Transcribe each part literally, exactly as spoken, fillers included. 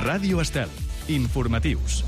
Ràdio Estel. Informatius.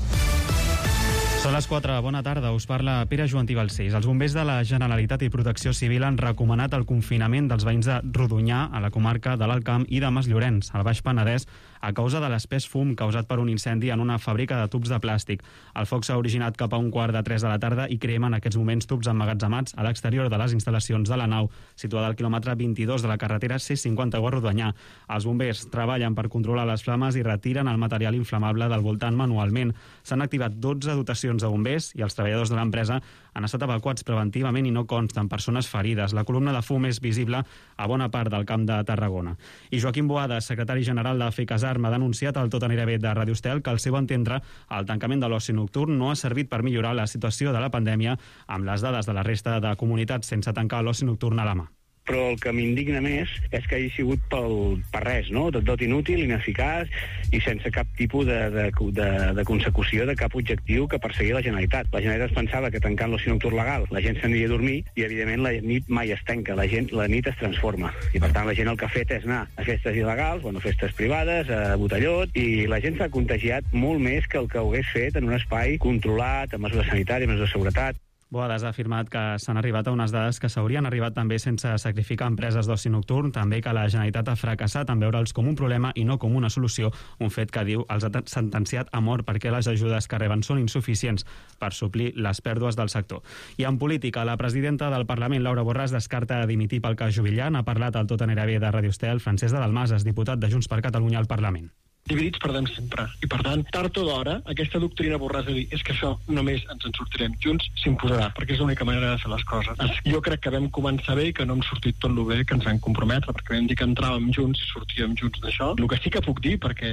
Són les quatre. Bona tarda. Us parla Pere Joantí Balcells. Els bombers de la Generalitat i Protecció Civil han recomanat el confinament dels veïns de Rodonyà, a la comarca de l'Alt Camp, i de Masllorenç, al Baix Penedès, a causa de l'espès fum causat per un incendi en una fàbrica de tubs de plàstic. El foc s'ha originat cap a un quart de tres de la tarda i crema en aquests moments tubs emmagatzemats a l'exterior de les instal·lacions de la nau, situada al quilòmetre vint-i-dos de la carretera C cinquanta a Rodonyà. Els bombers treballen per controlar les flames i retiren el material inflamable del voltant manualment. S'han activat dotze dotacions de bombers i els treballadors de l'empresa han estat evacuats preventivament i no consten persones ferides. La columna de fum és visible a bona part del Camp de Tarragona. I Joaquim Boada, secretari general de FECASARM, ha denunciat al Tot anirà bé de Ràdio Estel que, al seu entendre, el tancament de l'oci nocturn no ha servit per millorar la situació de la pandèmia, amb les dades de la resta de comunitats sense tancar l'oci nocturn a la mà. Però el que m'indigna més és que hagi sigut pel, per res, no? Tot, tot inútil, ineficaç i sense cap tipus de, de, de, de consecució de cap objectiu que perseguia la Generalitat. La Generalitat es pensava que tancant l'oci nocturn legal la gent s'aniria a dormir i, evidentment, la nit mai es tanca, la, gent, la nit es transforma. I, per tant, la gent el que ha fet és anar a festes il·legals, bueno, festes privades, a botellot, i la gent s'ha contagiat molt més que el que ho hagués fet en un espai controlat, amb mesures sanitàries, mesures de seguretat. Boadas ha afirmat que s'han arribat a unes dades que s'haurien arribat també sense sacrificar empreses d'oci nocturn, també que la Generalitat ha fracassat en veure'ls com un problema i no com una solució, un fet que, diu, els ha sentenciat a mort perquè les ajudes que reben són insuficients per suplir les pèrdues del sector. I en política, la presidenta del Parlament, Laura Borràs, descarta dimitir pel cas Juvillà. Ha parlat al Tot anirà bé de Ràdio Estel Francesc de Dalmases, diputat de Junts per Catalunya al Parlament. Dividits perdem sempre. I, per tant, tard o d'hora, aquesta doctrina Borràs de dir és que això només ens en sortirem junts s'imposarà, perquè és l'única manera de fer les coses. Jo crec que vam començar bé i que no hem sortit tot el bé que ens vam comprometre, perquè vam dir que entràvem junts i sortíem junts d'això. El que sí que puc dir, perquè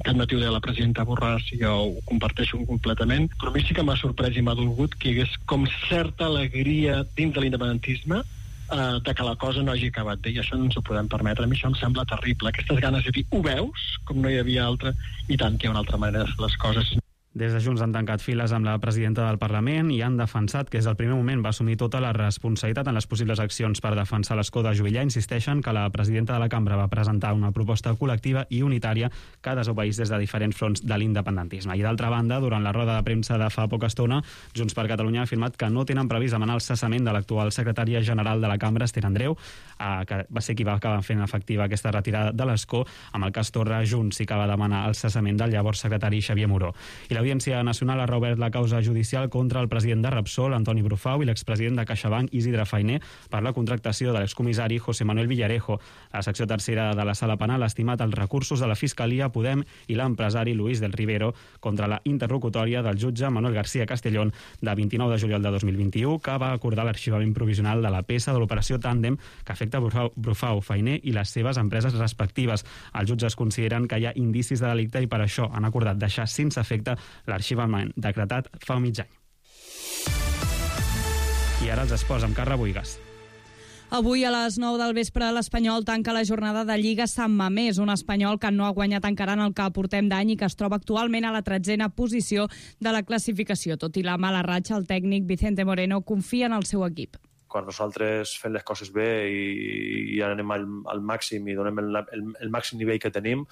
aquest matí ho deia la presidenta Borràs i jo ho comparteixo completament, però a mi sí que m'ha sorprès i m'ha dolgut que hi hagués com certa alegria dins de l'independentisme Uh, de que la cosa no hagi acabat bé, i això no ens ho podem permetre. A mi això em sembla terrible, aquestes ganes de dir ho veus, com no hi havia altra, i tant que hi ha una altra manera de fer les coses. Des de Junts han tancat files amb la presidenta del Parlament i han defensat que des del primer moment va assumir tota la responsabilitat en les possibles accions per defensar l'escó de Juvillà. Insisteixen que la presidenta de la cambra va presentar una proposta col·lectiva i unitària que desobeeix des de diferents fronts de l'independentisme. I d'altra banda, durant la roda de premsa de fa poca estona, Junts per Catalunya ha afirmat que no tenen previst demanar el cessament de l'actual secretària general de la cambra, Esther Andreu, eh, que va ser qui va acabar fent efectiva aquesta retirada de l'escó. Amb el cas Torra, Junts sí que va demanar el cessament del llavors secretari Xavier Moró. I l'Audiència Nacional ha reobert la causa judicial contra el president de Repsol, Antoni Brufau, i l'expresident de CaixaBank, Isidre Fainé, per la contractació de l'excomissari José Manuel Villarejo. La secció tercera de la Sala Penal ha estimat els recursos de la Fiscalia, Podem i l'empresari Luis del Rivero contra la interlocutòria del jutge Manuel García Castellón de vint-i-nou de juliol de dos mil vint-i-u, que va acordar l'arxivament provisional de la peça de l'operació Tàndem que afecta Brufau, Brufau, Fainé i les seves empreses respectives. Els jutges consideren que hi ha indicis de delicte i per això han acordat deixar sense efecte l'arxivament decretat fa mig any. I ara els esports amb Carla Buigas. Avui a les nou del vespre l'Espanyol tanca la jornada de Lliga Sant Mamés, un Espanyol que no ha guanyat encara en el que portem d'any i que es troba actualment a la tretzena posició de la classificació. Tot i la mala ratxa, el tècnic Vicente Moreno confia en el seu equip. Quan nosaltres fem les coses bé i, i anem al, al màxim i donem el, el, el màxim nivell que tenim,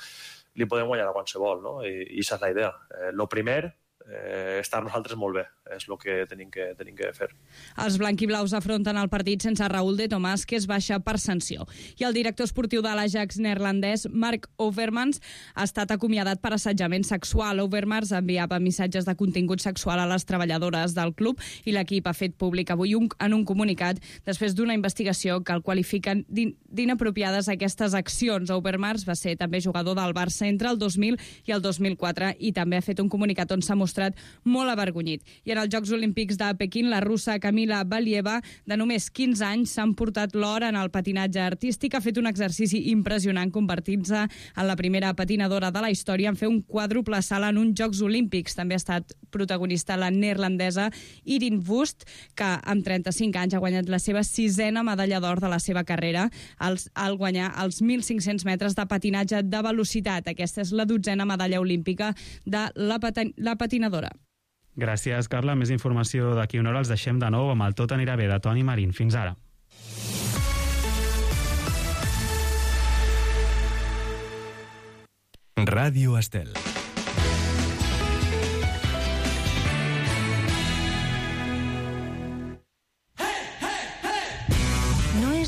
li podem guanyar a qualsevol, no? I, i això és la idea. Eh, lo primer, eh, estar nosaltres molt bé, és el que tenim que, tenim que fer. Els blanquiblaus afronten el partit sense Raúl de Tomàs, que es baixa per sanció. I el director esportiu de l'Ajax neerlandès, Mark Overmars, ha estat acomiadat per assetjament sexual. Overmars enviava missatges de contingut sexual a les treballadores del club i l'equip ha fet públic avui un, en un comunicat després d'una investigació que el qualifiquen d'inapropiades aquestes accions. Overmars va ser també jugador del Barça entre el dos mil i el dos mil quatre i també ha fet un comunicat on s'ha mostrat molt avergonyit. I en els Jocs Olímpics de Pequín, la russa Kamila Valieva, de només quinze anys, s'ha emportat l'or en el patinatge artístic. Ha fet un exercici impressionant, convertint-se en la primera patinadora de la història en fer un quàdruple salt en uns Jocs Olímpics. També ha estat protagonista la neerlandesa Irin Wust, que amb trenta-cinc anys ha guanyat la seva sisena medalla d'or de la seva carrera al, al guanyar els mil cinc-cents metres de patinatge de velocitat. Aquesta és la dotzena medalla olímpica de la, patin la patinadora. Gràcies, Carla. Més informació d'aquí una hora. Els deixem de nou amb el Tot anirà bé de Toni Marín. Fins ara. Ràdio Estel.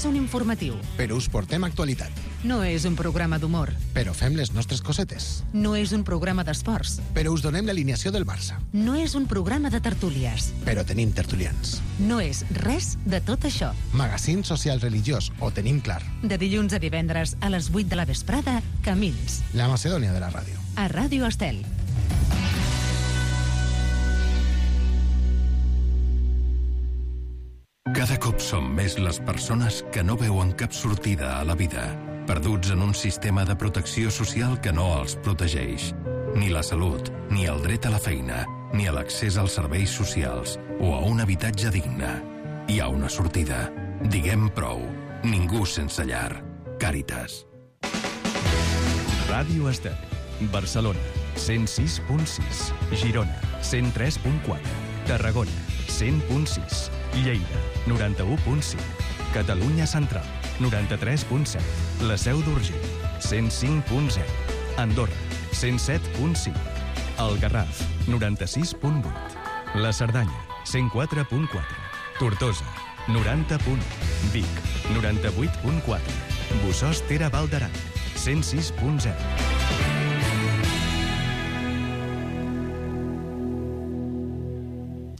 és un informatiu. Però us portem actualitat. No és un programa d'humor. Però fem les nostres cosetes. No és un programa d'esports. Però us donem l'alineació del Barça. No és un programa de tertúlies. Però tenim tertulians. No és res de tot això. Magazín social religiós, ho tenim clar. De dilluns a divendres a les vuit de la vesprada, Camins. La Macedònia de la ràdio. A Ràdio Estel. Cada cop som més les persones que no veuen cap sortida a la vida, perduts en un sistema de protecció social que no els protegeix. Ni la salut, ni el dret a la feina, ni a l'accés als serveis socials o a un habitatge digne. Hi ha una sortida. Diguem prou. Ningú sense llar. Càritas. Ràdio Estel. Barcelona, cent sis punt sis. Girona, cent tres punt quatre. Tarragona, cent punt sis. Lleida, noranta-u punt cinc. Catalunya Central, noranta-tres punt set. La Seu d'Urgell, cent cinc punt zero. Andorra, cent set punt cinc. El Garraf, noranta-sis punt vuit. La Cerdanya, cent quatre punt quatre. Tortosa, noranta punt u. Vic, noranta-vuit punt quatre. Bossòst Ter Val d'Aran, cent sis punt zero.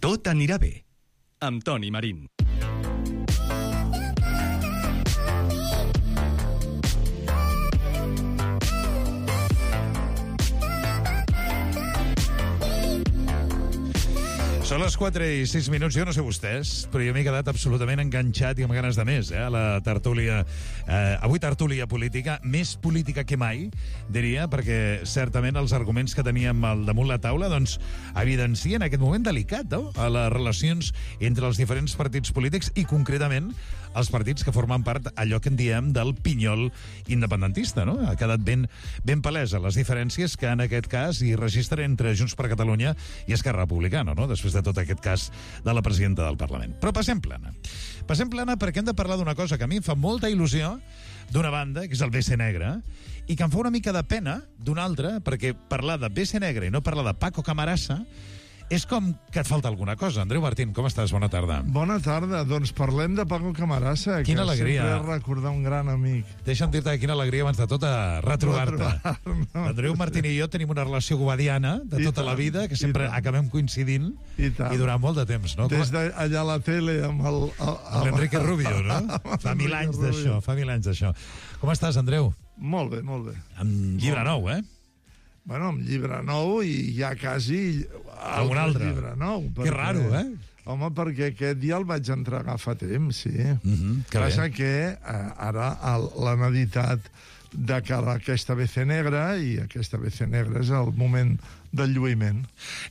Tot anirà bé, amb Toni Marín. Són les quatre i sis minuts, jo no sé vostès, però jo m'he quedat absolutament enganxat i amb ganes de més, eh, a la tertúlia. Eh, avui tertúlia política, més política que mai, diria, perquè certament els arguments que teníem al damunt la taula, doncs, evidencien aquest moment delicat, no?, a les relacions entre els diferents partits polítics i, concretament, els partits que formen part allò que en diem del pinyol independentista, no? Ha quedat ben, ben palesa les diferències que en aquest cas hi registren entre Junts per Catalunya i Esquerra Republicana, no?, després de tot aquest cas de la presidenta del Parlament. Però passem plana. Passem plana perquè hem de parlar d'una cosa que a mi em fa molta il·lusió, d'una banda, que és el B C Negre, i que em fa una mica de pena d'una altra, perquè parlar de B C Negre i no parlar de Paco Camarasa és com que et falta alguna cosa. Andreu Martín, com estàs? Bona tarda. Bona tarda. Doncs parlem de Paco Camarasa, quina que alegria. Sempre és recordar un gran amic. Deixa'm dir-te que quina alegria abans de tot a retrobar-te. No. Andreu Martín i jo tenim una relació gobadiana de I tota tant, la vida, que sempre acabem coincidint i, i durant molt de temps, no? Des d'allà a la tele amb el... Amb l'Enrique Rubio, no? Fa mil anys d'això, fa mil anys d'això. Com estàs, Andreu? Molt bé, molt bé. Amb llibre nou, eh? Bueno, amb llibre nou i ja quasi amb un altre llibre nou. Que raro, eh? Home, perquè aquest ja el vaig entregar fa temps, sí. Mm-hmm, que Passa bé. que eh, ara l'han editat de cara a aquesta B C Negra i aquesta B C Negra és el moment del lluïment.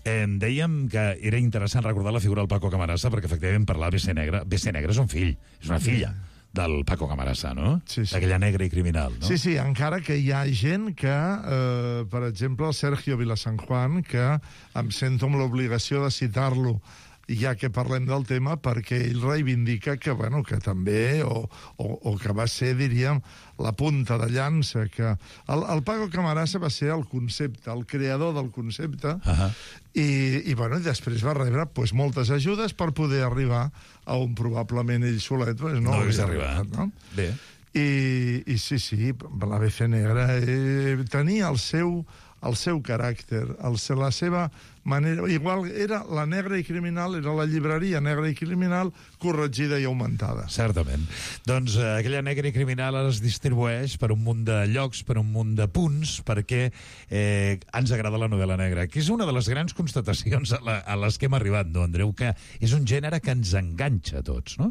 Eh, dèiem que era interessant recordar la figura del Paco Camarasa perquè efectivament parlar de B C Negra. B C Negra és un fill, és una filla. Sí. Del Paco Camarasa, no? Sí, sí. D'aquella negra i criminal, no? Sí, sí, encara que hi ha gent que, eh, per exemple, el Sergio Vilasan Juan, que em sento amb l'obligació de citar-lo ja que parlem del tema, perquè ell reivindica que, bueno, que també, o, o, o que va ser, diríem, la punta de llança, que el, el Paco Camarasa va ser el concepte, el creador del concepte, uh-huh. i, i, bueno, després va rebre pues, moltes ajudes per poder arribar a on probablement ell solet pues, no, no hagués arribat. No? Bé. I, I sí, sí, la B C Negra eh, tenia el seu, el seu caràcter, el, la seva manera... Igual era la negra i criminal, era la llibreria negra i criminal corregida i augmentada. Certament. Doncs eh, aquella negra i criminal es distribueix per un munt de llocs, per un munt de punts, perquè eh, ens agrada la novel·la negra, que és una de les grans constatacions a, la, a les que hem arribat, no, Andreu? Que és un gènere que ens enganxa a tots, no?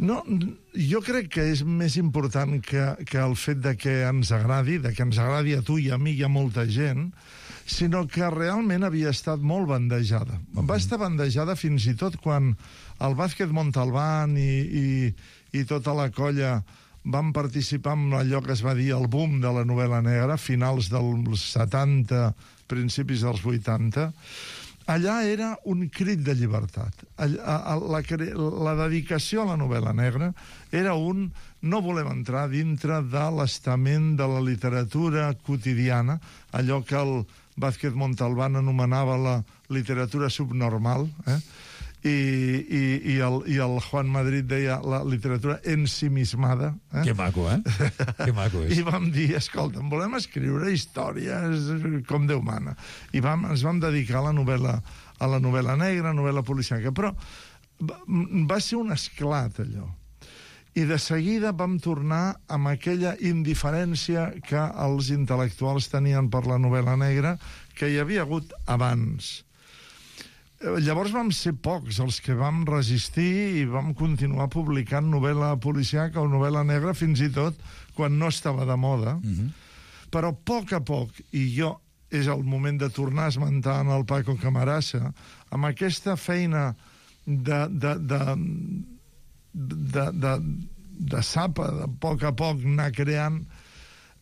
No, jo crec que és més important que, que el fet de que ens agradi, de que ens agradi a tu i a mi i a molta gent, sinó que realment havia estat molt bandejada. Mm-hmm. Va estar bandejada fins i tot quan el Vázquez Montalbán i, i, i tota la colla van participar en allò que es va dir el boom de la novel·la negra, finals dels setanta, principis dels vuitanta. Allà era un crit de llibertat. La, la, la dedicació a la novel·la negra era un... No volem entrar dintre de l'estament de la literatura quotidiana, allò que el Vázquez Montalbán anomenava la literatura subnormal, eh? i, i, i, el, i el Juan Madrid deia la literatura ensimismada. Eh? Que maco, eh? Que maco és. I vam dir, escolta, volem escriure històries com Déu mana. I vam, ens vam dedicar a la novel·la, a la novel·la negra, novel·la policiaca, però va, va ser un esclat, allò. I de seguida vam tornar amb aquella indiferència que els intel·lectuals tenien per la novel·la negra que hi havia hagut abans. Llavors vam ser pocs els que vam resistir i vam continuar publicant novel·la policiaca o novel·la negra fins i tot quan no estava de moda. Mm-hmm. Però a poc a poc, i jo és el moment de tornar a esmentar en el Paco Camarasa, amb aquesta feina de, de, de, de, de, de sapa, de poc a poc anar creant,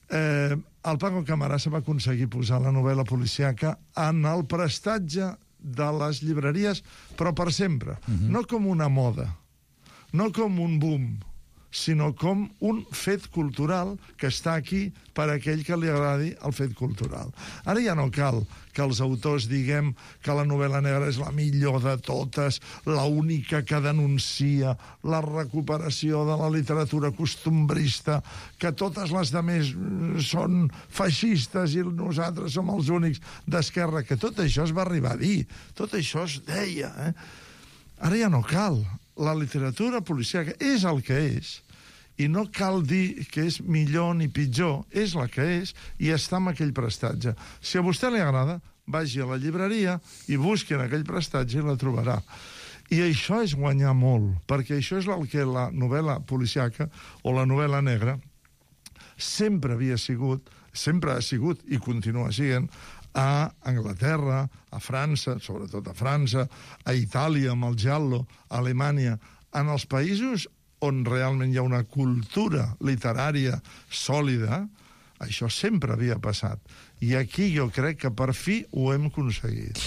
eh, el Paco Camarasa va aconseguir posar la novel·la policiaca en el prestatge de les llibreries, però per sempre. Uh-huh. No com una moda, no com un boom, sinó com un fet cultural que està aquí per a aquell que li agradi el fet cultural. Ara ja no cal que els autors diguem que la novel·la negra és la millor de totes, la única que denuncia la recuperació de la literatura costumbrista, que totes les demés són feixistes i nosaltres som els únics d'esquerra, que tot això es va arribar a dir, tot això es deia. Eh? Ara ja no cal. La literatura policíaca és el que és, i no cal dir que és millor ni pitjor, és la que és, i està en aquell prestatge. Si a vostè li agrada, vagi a la llibreria i busqui en aquell prestatge i la trobarà. I això és guanyar molt, perquè això és el que la novel·la policíaca o la novel·la negra sempre havia sigut, sempre ha sigut i continua sent, a Anglaterra, a França, sobretot a França, a Itàlia amb el giallo, a Alemanya, en els països on realment hi ha una cultura literària sòlida, això sempre havia passat. I aquí jo crec que per fi ho hem aconseguit.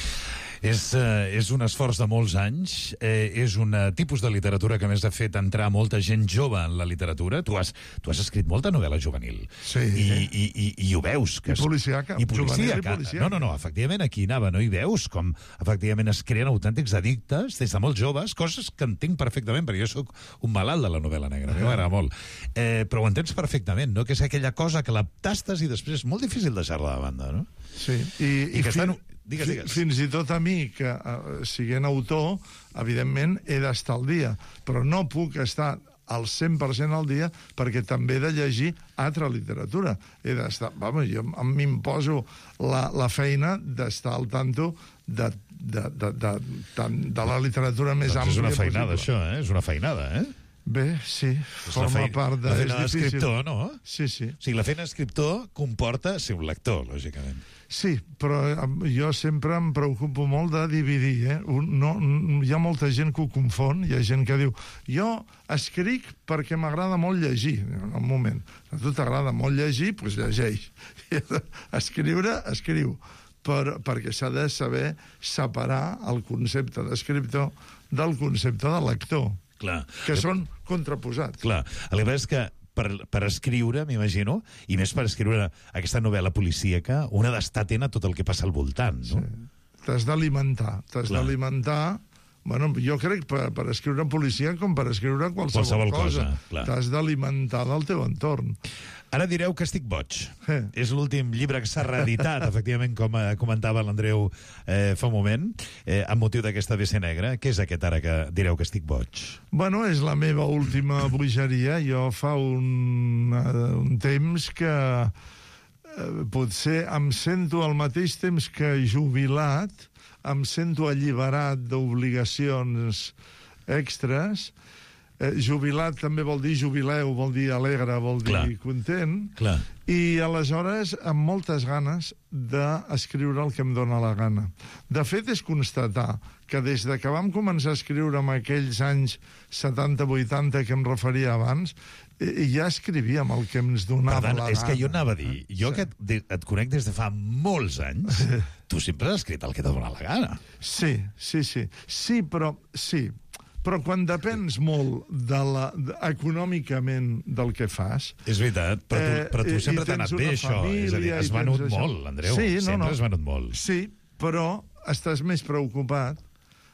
És, eh, és un esforç de molts anys, eh, és un eh, tipus de literatura que a més ha fet entrar molta gent jove en la literatura. Tu has, tu has escrit molta novel·la juvenil. Sí. I, i, i, i ho veus. Que I policiaca. I policiaca. I policiaca. No, no, no, efectivament aquí anava, no? I veus com efectivament es creen autèntics addictes des de molt joves, coses que entenc perfectament, perquè jo sóc un malalt de la novel·la negra, a mi m'agrada molt. Eh, però ho entens perfectament, no? Que és aquella cosa que la tastes i després és molt difícil deixar-la de banda, no? Sí. I, I, I que fin... estan... Digues, digues. Fins i tot a mi, que uh, siguent autor, evidentment he d'estar al dia, però no puc estar al cent per cent al dia perquè també he de llegir altra literatura. He d'estar... Vamos, jo m'imposo la, la feina d'estar al tanto de, de, de, de, de, de la literatura més doncs àmplia és una feinada, possible. això, eh? És una feinada, eh? Bé, sí, és forma feina, part de... La feina d'escriptor, no? Sí, sí. O sigui, la feina d'escriptor comporta ser un lector, lògicament. Sí, però jo sempre em preocupo molt de dividir, eh? Un, no, hi ha molta gent que ho confon, hi ha gent que diu jo escric perquè m'agrada molt llegir. Un moment, a tu t'agrada molt llegir, doncs llegeix. Escriure, escriu. Per, perquè s'ha de saber separar el concepte d'escriptor del concepte de lector. Clar. Que són contraposats. Clar, el que passa és que per, per escriure, m'imagino, i més per escriure aquesta novel·la policíaca, una d'estar atent a tot el que passa al voltant, no? Sí. T'has d'alimentar, t'has d'alimentar... Bueno, jo crec per, per escriure policia com per escriure qualsevol, qualsevol cosa. cosa t'has d'alimentar del teu entorn. Ara direu que estic boig. Eh. És l'últim llibre que s'ha reeditat, efectivament, com comentava l'Andreu eh, fa un moment, eh, amb motiu d'aquesta B C negra. Què és aquest ara que direu que estic boig? Bueno, és la meva última bogeria. Jo fa un, un temps que eh, potser em sento al mateix temps que jubilat, em sento alliberat d'obligacions extres. Eh, jubilat també vol dir jubileu, vol dir alegre, vol dir Clar. content. Clar. I aleshores amb moltes ganes d'escriure el que em dóna la gana. De fet, és constatar que des de que vam començar a escriure en aquells anys setanta vuitanta que em referia abans, eh, ja escrivíem el que ens donava tant, la és gana. que jo anava a dir, jo Sí. que et, et conec des de fa molts anys, tu sempre has escrit el que t'ha donat la gana. Sí, sí, sí. Sí, però... Sí. Però quan depens molt de la, de, econòmicament del que fas... És veritat, però tu, eh, però tu i- sempre i t'ha anat tens bé, una això. família És a dir, i has tens venut això. molt, Andreu. Sí, no, sempre no. has venut molt. Sí, però estàs més preocupat,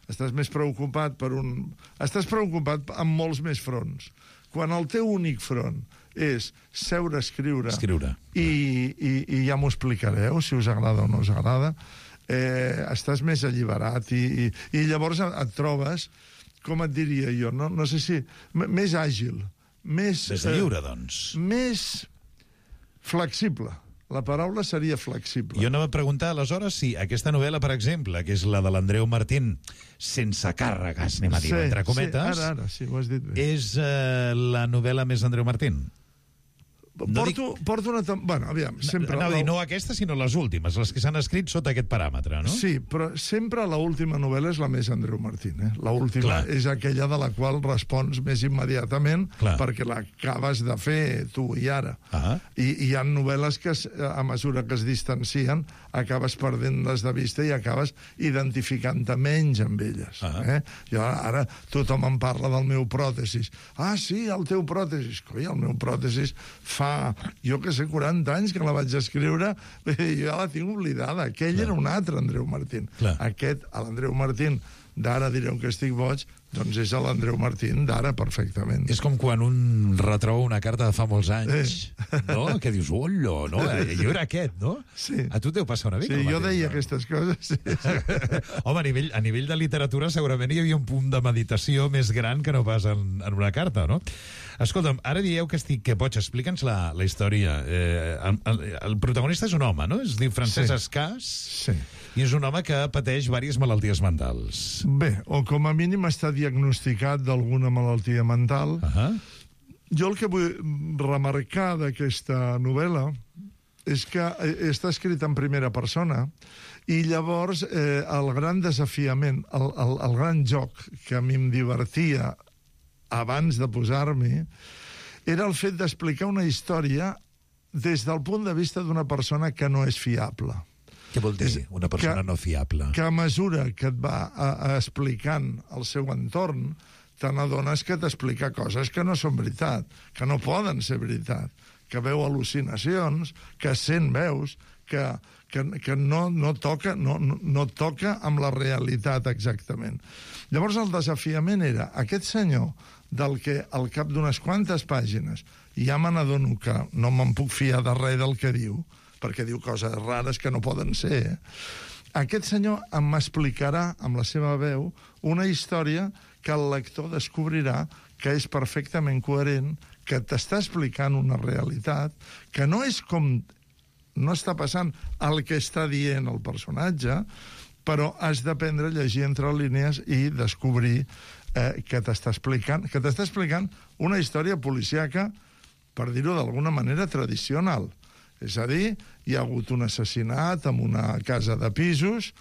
estàs més preocupat per un... Estàs preocupat amb molts més fronts. Quan el teu únic front és seure a escriure, escriure. I, i, i ja m'ho explicareu, si us agrada o no us agrada, eh, estàs més alliberat i, i, i llavors et trobes, com et diria jo, no, no sé si... més àgil, més... Més lliure, doncs. Eh, més flexible. La paraula seria flexible. Jo anava a preguntar, aleshores, si aquesta novel·la, per exemple, que és la de l'Andreu Martín, sense càrregues, anem a dir, sí, entre cometes, sí, ara, ara, sí, ho has dit bé. És eh, la novel·la més Andreu Martín? No porto, dic... porto una... Bueno, aviam, sempre... Anava a dir, no aquesta, sinó les últimes, les que s'han escrit sota aquest paràmetre, no? Sí, però sempre l'última novel·la és la més Andreu Martín, eh? L'última és aquella de la qual respons més immediatament, clar, perquè l'acabes de fer tu i ara. Ah. I, I hi ha novel·les que, a mesura que es distancien, acabes perdent-les de vista i acabes identificant-te menys amb elles. Ah. Eh? Jo ara tothom em parla del meu pròtesis. Ah, sí, el teu pròtesis. Coi, el meu pròtesis fa jo que sé, quaranta anys que la vaig escriure, jo ja la tinc oblidada. Aquell clar. Era un altre Andreu Martín. Clar. Aquest, l'Andreu Martín d'ara direu que estic boig, doncs és l'Andreu Martín d'ara perfectament. És com quan un retroba una carta de fa molts anys, eh. no? Que dius, ollo, no? Jo era aquest, no? Sí. A tu deu passar una mica. Sí, jo mateix, deia no? aquestes coses. Sí, sí. Home, a nivell, a nivell de literatura segurament hi havia un punt de meditació més gran que no pas en, en una carta, no? Escolta'm, ara dieu que estic que boig, explica'ns la, la història. Eh, el, el, el protagonista és un home, no? Es diu Francesc sí. Escàs, sí. I és un home que pateix diverses malalties mentals. Bé, o com a mínim està diagnosticat d'alguna malaltia mental. Uh -huh. Jo el que vull remarcar d'aquesta novel·la és que està escrit en primera persona i llavors eh, el gran desafiament, el, el, el gran joc que a mi em divertia abans de posar-m'hi, era el fet d'explicar una història des del punt de vista d'una persona que no és fiable. Què vol dir, una persona que, no fiable? Que a mesura que et va a, a explicant el seu entorn, te n'adones que t'explica coses que no són veritat, que no poden ser veritat, que veu al·lucinacions, que sent veus, que, que, que no, no, toca, no, no, no toca amb la realitat exactament. Llavors el desafiament era aquest senyor del que al cap d'unes quantes pàgines ja me n'adono que no me'n puc fiar de res del que diu, perquè diu coses rares que no poden ser. Eh? Aquest senyor m'explicarà amb la seva veu una història que el lector descobrirà que és perfectament coherent, que t'està explicant una realitat, que no és com... no està passant el que està dient el personatge, però has d'aprendre a llegir entre línies i descobrir eh, que t'està explicant, que t'està explicant una història policíaca, per dir-ho d'alguna manera, tradicional. És a dir, hi ha hagut un assassinat en una casa de pisos,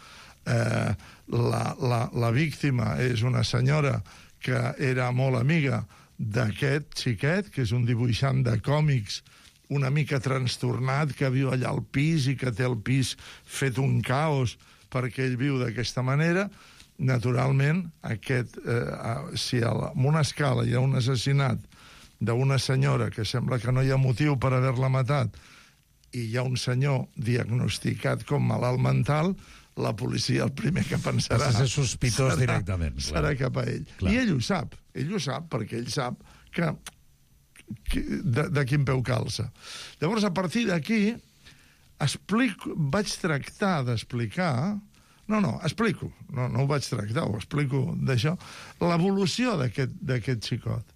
eh, la, la, la víctima és una senyora que era molt amiga d'aquest xiquet, que és un dibuixant de còmics una mica trastornat, que viu allà al pis i que té el pis fet un caos perquè ell viu d'aquesta manera. Naturalment, aquest, eh, si en una escala hi ha un assassinat d'una senyora que sembla que no hi ha motiu per haver-la matat i hi ha un senyor diagnosticat com malalt mental, la policia el primer que pensarà... Has de ser sospitós serà, directament. Serà clar. Cap a ell. Clar. I ell ho sap. Ell ho sap perquè ell sap que, que de, de quin peu calça. Llavors, a partir d'aquí, explico, vaig tractar d'explicar... No, no, explico. No, no ho vaig tractar, ho explico d'això. L'evolució d'aquest xicot.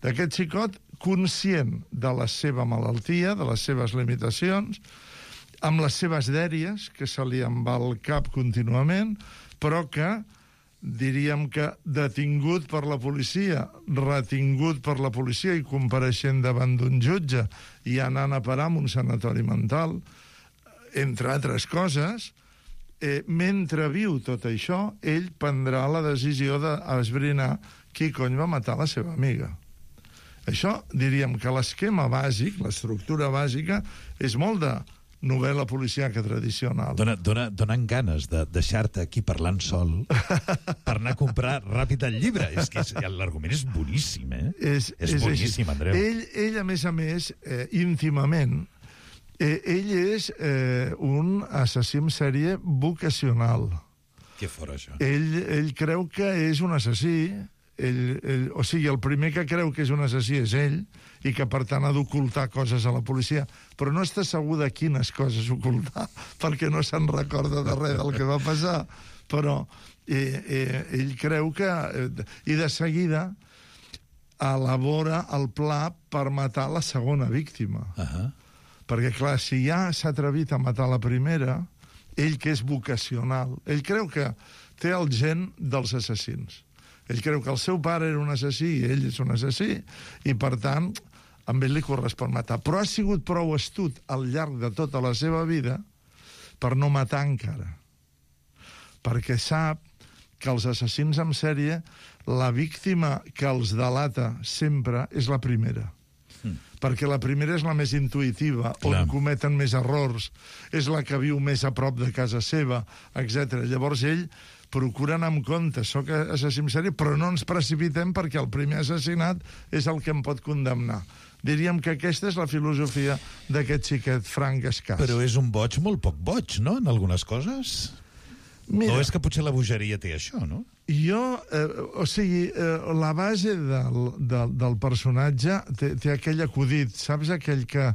D'aquest xicot conscient de la seva malaltia, de les seves limitacions, amb les seves dèries, que se li en va al cap contínuament, però que, diríem que detingut per la policia, retingut per la policia i compareixent davant d'un jutge i anant a parar en un sanatori mental, entre altres coses, eh, mentre viu tot això, ell prendrà la decisió d'esbrinar qui cony va matar la seva amiga. Això, diríem que l'esquema bàsic, l'estructura bàsica, és molt de novel·la policíaca tradicional. Dona, dona, donen ganes de deixar-te aquí parlant sol per anar a comprar ràpid el llibre. És que l'argument és boníssim, eh? És, és, és boníssim, Andreu. Ell, ell, a més a més, eh, íntimament, eh, ell és eh, un assassí en sèrie vocacional. Què fora, això? Ell, ell creu que és un assassí, ell, ell, o sigui, el primer que creu que és un assassí és ell, i que, per tant, ha d'ocultar coses a la policia. Però no està segur de quines coses ocultar, perquè no se'n recorda de res del que va passar. Però eh, eh, ell creu que... Eh, I de seguida elabora el pla per matar la segona víctima. Uh-huh. Perquè, clar, si ja s'ha atrevit a matar la primera, ell que és vocacional, ell creu que té el gen dels assassins. Ell creu que el seu pare era un assassí i ell és un assassí, i, per tant, amb ell li correspon matar. Però ha sigut prou astut al llarg de tota la seva vida per no matar encara. Perquè sap que els assassins en sèrie, la víctima que els delata sempre és la primera. Mm. Perquè la primera és la més intuïtiva, Clar. on cometen més errors, és la que viu més a prop de casa seva, etcètera. Llavors ell procura anar amb compte, soc assassí en sèrie, però no ens precipitem perquè el primer assassinat és el que em pot condemnar. Diríem que aquesta és la filosofia d'aquest xiquet Frank Escàs. Però és un boig molt poc boig, no?, en algunes coses. Mira, o és que potser la bogeria té això, no? Jo, eh, o sigui, eh, la base del, del, del personatge té, té aquell acudit, saps aquell que,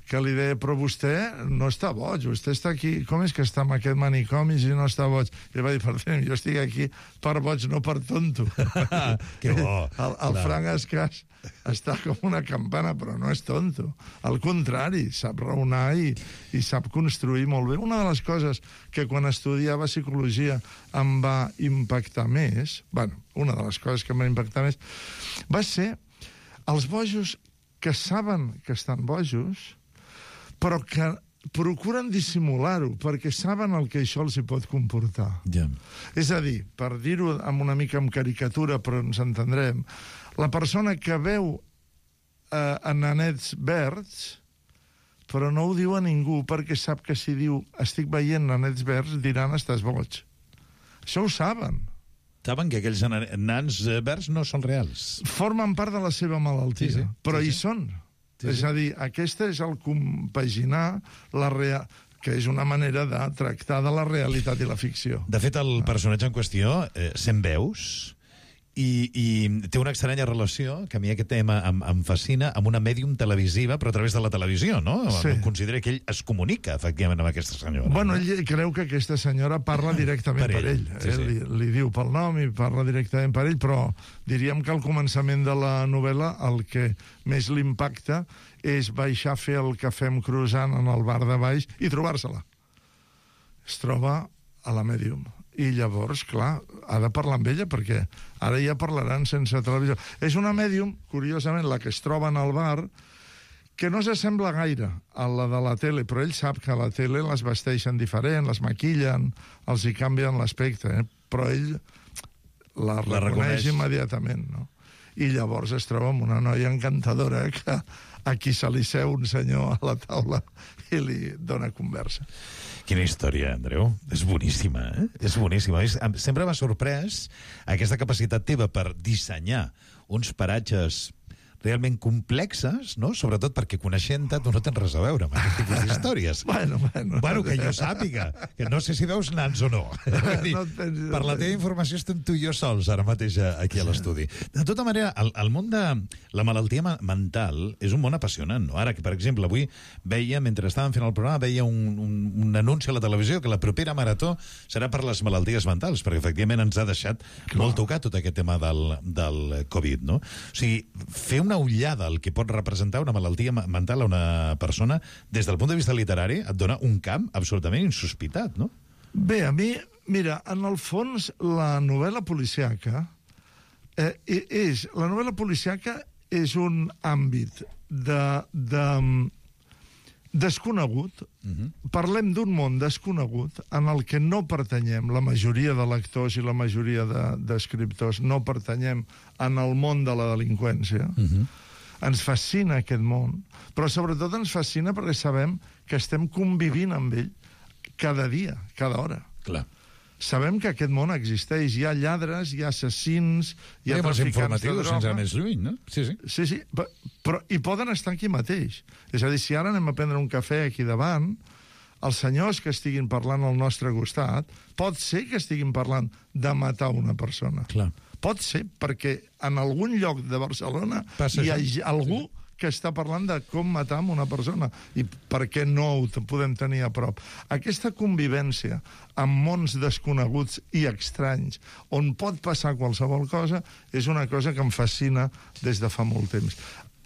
que li deia, però vostè no està boig, vostè està aquí, com és que està en aquest manicomi si no està boig? I va dir, perdoni, jo estic aquí per boig, no per tonto. Que bo. El, el Frank Escàs està com una campana, però no és tonto. Al contrari, sap raonar i, i sap construir molt bé. Una de les coses que quan estudiava psicologia em va impactar més, bueno, una de les coses que em va impactar més, va ser els bojos que saben que estan bojos, però que procuren dissimular-ho, perquè saben el que això els hi pot comportar. Yeah. És a dir, per dir-ho amb una mica amb caricatura, però ens entendrem, la persona que veu eh, en nanets verds, però no ho diu a ningú, perquè sap que si diu estic veient nanets verds, diran estàs boig. Això ho saben. Saben que aquells nans verds no són reals. Formen part de la seva malaltia, sí, sí. però sí, sí. hi són. Sí, sí. És a dir, aquesta és el compaginar la real... que és una manera de tractar de la realitat i la ficció. De fet, el personatge en qüestió eh, sent veus i, i té una estranya relació, que a mi aquest tema em, em fascina, amb una mèdium televisiva, però a través de la televisió, no? Sí. Considera que ell es comunica, efectivament, amb aquesta senyora. Bueno, no? ell creu que aquesta senyora parla directament per, per ell. ell. Sí, sí. Li, li diu pel nom i parla directament per ell, però diríem que al començament de la novel·la el que més l'impacta és baixar a fer el cafè amb croissant en el bar de baix i trobar-se-la. Es troba a la mèdium. I llavors, clar, ha de parlar amb ella, perquè ara ja parlaran sense televisió. És una mèdium, curiosament, la que es troba en el bar, que no s'assembla gaire a la de la tele, però ell sap que a la tele les vesteixen diferent, les maquillen, els hi canvien l'aspecte, eh? Però ell la, la reconeix, reconeix immediatament, no? I llavors es troba amb una noia encantadora que a qui se li seu un senyor a la taula i li dona conversa. Quina història, Andreu. És boníssima, eh? És boníssima. Sempre m'ha sorprès aquesta capacitat teva per dissenyar uns paratges realment complexes, no? Sobretot perquè coneixent-te tu no tens res a veure amb aquest tipus d'històries. bueno, bueno. Bueno, que jo sàpiga, que no sé si veus nans o no. Dir, no tens... Per la teva informació estem tu i jo sols ara mateix aquí a l'estudi. De tota manera, el, el món de la malaltia mental és un món apassionant, no? Ara que, per exemple, avui veia, mentre estàvem fent el programa, veia un, un, un anunci a la televisió que la propera marató serà per les malalties mentals, perquè efectivament ens ha deixat Clar. molt tocat tot aquest tema del, del Covid, no? O sigui, fer una ullada al que pot representar una malaltia mental a una persona, des del punt de vista literari, et dona un camp absolutament insospitat, no? Bé, a mi, mira, en el fons, la novel·la policiaca eh, és... La novel·la policiaca és un àmbit de... de desconegut, uh-huh. Parlem d'un món desconegut en el que no pertanyem, la majoria de lectors i la majoria d'escriptors no pertanyem en el món de la delinqüència. Uh-huh. Ens fascina aquest món, però sobretot ens fascina perquè sabem que estem convivint amb ell cada dia, cada hora. Clar. Sabem que aquest món existeix. Hi ha lladres, hi ha assassins, hi ha traficants de droga. Sense anar més lluny, no? Sí, sí. Sí, sí, però, i poden estar aquí mateix. És a dir, si ara anem a prendre un cafè aquí davant, els senyors que estiguin parlant al nostre costat, pot ser que estiguin parlant de matar una persona. Clar. Pot ser, perquè en algun lloc de Barcelona Passa hi ha això. algú sí. que està parlant de com matar una persona i per què no ho podem tenir a prop. Aquesta convivència amb mons desconeguts i estranys, on pot passar qualsevol cosa, és una cosa que em fascina des de fa molt temps.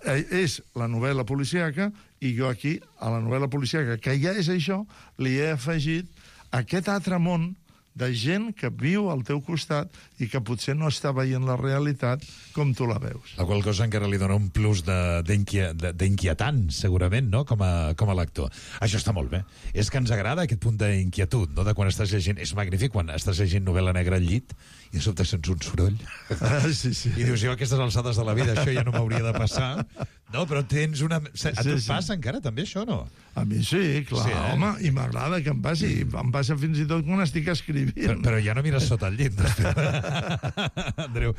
Eh, és la novel·la policíaca i jo aquí, a la novel·la policíaca, que ja és això, li he afegit aquest altre món de gent que viu al teu costat i que potser no està veient la realitat com tu la veus. La qual cosa encara li dona un plus d'inquietant, segurament, no? Com a, com a lector. Això està molt bé. És que ens agrada aquest punt d'inquietud, no? De quan estàs llegint. És magnífic quan estàs llegint novel·la negra al llit i de sobte sents un soroll. Ah, sí, sí. I dius, jo a aquestes alçades de la vida això ja no m'hauria de passar. No, però tens una... A tu et sí, passa sí. encara també això, no? A mi sí, clar, sí, eh? Home, i m'agrada que em passi. Em passa fins i tot quan estic escrivint. Però, però ja no mires sota el llit. Andreu.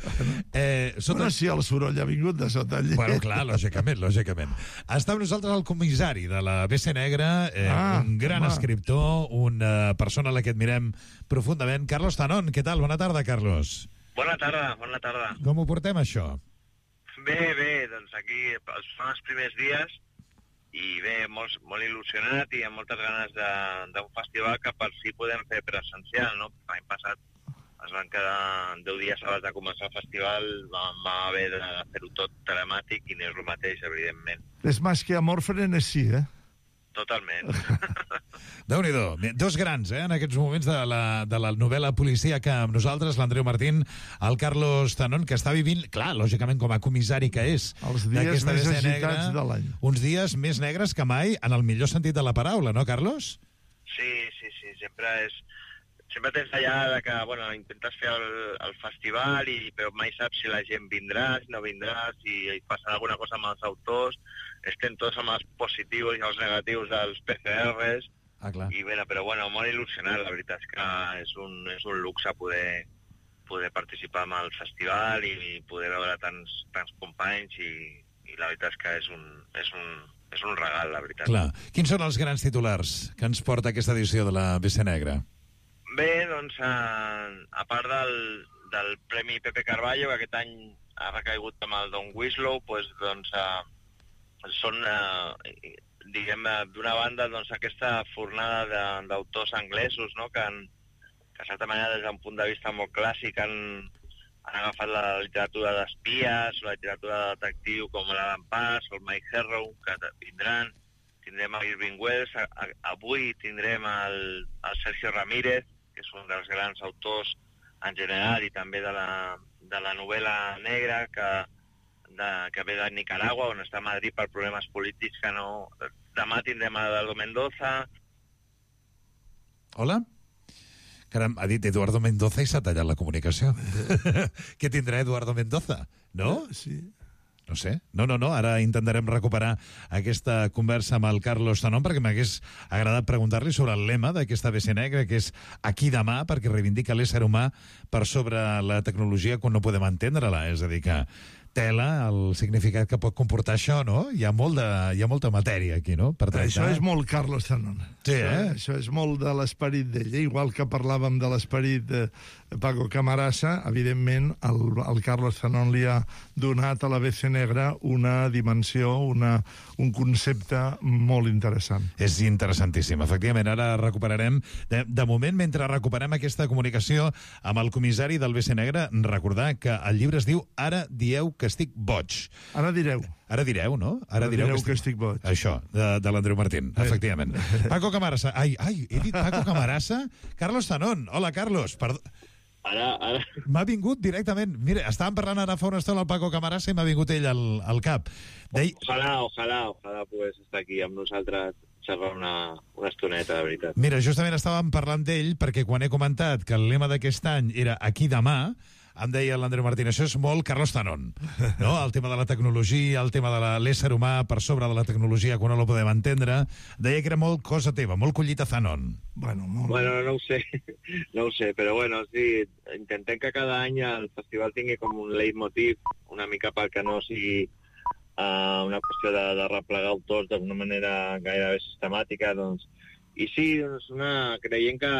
Eh, sota... Bueno, sí, el soroll ha vingut de sota el llit. Bueno, clar, lògicament, lògicament. Està amb nosaltres el comissari de la B C Negra, eh, ah, un gran home. escriptor, una persona a la que admirem profundament. Carlos Tanón, què tal? Bona tarda, Carlos. Bona tarda, bona tarda. Com ho portem, això? Bé, bé, doncs aquí són els primers dies i bé, molt, molt il·lusionat i amb moltes ganes d'un festival que per si podem fer presencial, no? L'any passat es van quedar deu dies abans de començar el festival, vam, vam haver de fer-ho tot telemàtic i no és el mateix, evidentment. És més que amor frenesí, eh? Totalment. Déu-n'hi-do. Dos grans, eh, en aquests moments de la, de la novel·la policíaca amb nosaltres, l'Andreu Martín, el Carlos Tanón, que està vivint, clar, lògicament, com a comissari que és. Els dies més agitats de l'any. Uns dies més negres que mai, en el millor sentit de la paraula, no, Carlos? Sí, sí, sí. Sempre és... Sempre tens allà de que, bueno, intentes fer el, el festival, i, però mai saps si la gent vindrà, si no vindrà, si passa alguna cosa amb els autors. Estem tots amb els positius i els negatius dels P C Rs. Ah, clar. I bé, però bueno, molt il·lusionat. La veritat és que és un, és un luxe poder, poder participar en el festival i poder veure tants, tants companys i, i la veritat és que és un, és un, és un regal, la veritat. Clar. Quins són els grans titulars que ens porta aquesta edició de la B C Negra? Bé, doncs, a, a part del, del Premi Pepe Carballo, que aquest any ha recaigut amb el Don Winslow, pues, doncs, a, són, a, diguem, d'una banda, doncs, aquesta fornada d'autors anglesos, no?, que, han, que, a certa manera, des d'un punt de vista molt clàssic, han, han agafat la literatura d'espies, la literatura de detectiu, com l'Alan Pass o el Mike Herrow, que vindran. Tindrem a Irving Wells, a, a, avui tindrem el, el Sergio Ramírez, que és un dels grans autors en general i també de la, de la novel·la negra que, de, que ve de Nicaragua, on està a Madrid per problemes polítics que no... Demà tindrem a Eduardo Mendoza. Hola? Caram, ha dit Eduardo Mendoza i s'ha tallat la comunicació. Què tindrà Eduardo Mendoza? No? Sí. No sé. No, no, no. Ara intentarem recuperar aquesta conversa amb el Carlos Tanón perquè m'hagués agradat preguntar-li sobre el lema d'aquesta B C Negra, que és aquí demà, perquè reivindica l'ésser humà per sobre la tecnologia quan no podem entendre-la. És a dir, que tela el significat que pot comportar això, no? Hi ha, molt de, hi ha molta matèria aquí, no? Per tractar. Això és molt Carlos Tanón. Sí, eh? Això és molt de l'esperit d'ell. Igual que parlàvem de l'esperit de Paco Camarasa, evidentment el, el Carlos Tanón li ha donat a la B C Negra una dimensió, una, un concepte molt interessant. És interessantíssim. Efectivament, ara recuperarem... De, de moment, mentre recuperem aquesta comunicació amb el comissari del B C Negra, recordar que el llibre es diu Ara dieu que estic boig. Ara direu. Ara direu, no? Ara, Ara direu, direu que, estic... que estic boig. Això, de, de l'Andreu Martín, eh. efectivament. Paco Camarasa. Ai, ai, he dit Paco Camarasa? Carlos Tanón. Hola, Carlos. Perdó. Ara, ara... M'ha vingut directament... Mira, estàvem parlant ara fa una estona el Paco Camarasa i m'ha vingut ell al, al cap. Dei... Ojalà, ojalà, ojalà pogués estar aquí amb nosaltres xerrar una, una estoneta, de veritat. Mira, justament estàvem parlant d'ell perquè quan he comentat que el lema d'aquest any era aquí demà, em deia l'Andreu Martín, això és molt Carlos Tanón, no? El tema de la tecnologia, el tema de l'ésser humà per sobre de la tecnologia quan no lo podem entendre, deia que era molt cosa teva, molt collita Tanón. Bueno, molt... bueno, no ho sé, no ho sé, però bueno, sí, intentem que cada any el festival tingui com un leitmotiv, una mica perquè no sigui uh, una qüestió de, de replegar autors d'una manera gairebé sistemàtica, doncs I sí, és una, creiem que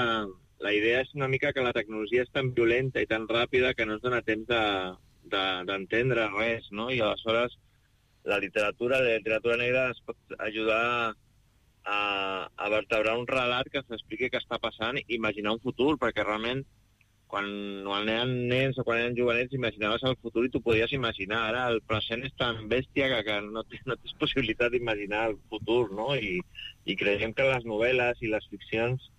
la idea és una mica que la tecnologia és tan violenta i tan ràpida que no es dona temps d'entendre de, de, res, no? I aleshores la literatura, la literatura negra es pot ajudar a, a vertebrar un relat que s'expliqui què està passant i imaginar un futur, perquè realment quan, quan eren nens o quan eren jovenets imaginaves el futur i tu podies imaginar. Ara el present és tan bèstia que, que no, tens, no tens possibilitat d'imaginar el futur, no? I, i creiem que les novel·les i les ficcions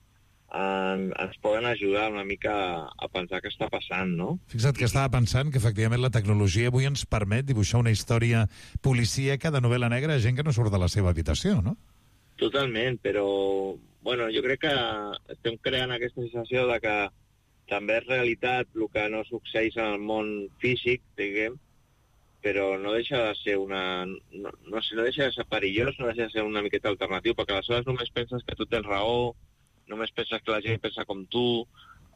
en, ens poden ajudar una mica a, a pensar què està passant, no? Fixa't que estava pensant que efectivament la tecnologia avui ens permet dibuixar una història policíaca de novel·la negra a gent que no surt de la seva habitació, no? Totalment, però bueno, jo crec que estem creant aquesta sensació de que també és realitat el que no succeeix en el món físic, diguem, però no deixa de ser una... No, no, sé, no deixa de ser perillós, no deixa de ser una miqueta alternatiu, perquè aleshores només penses que tu tens raó, només penses que la gent pensa com tu,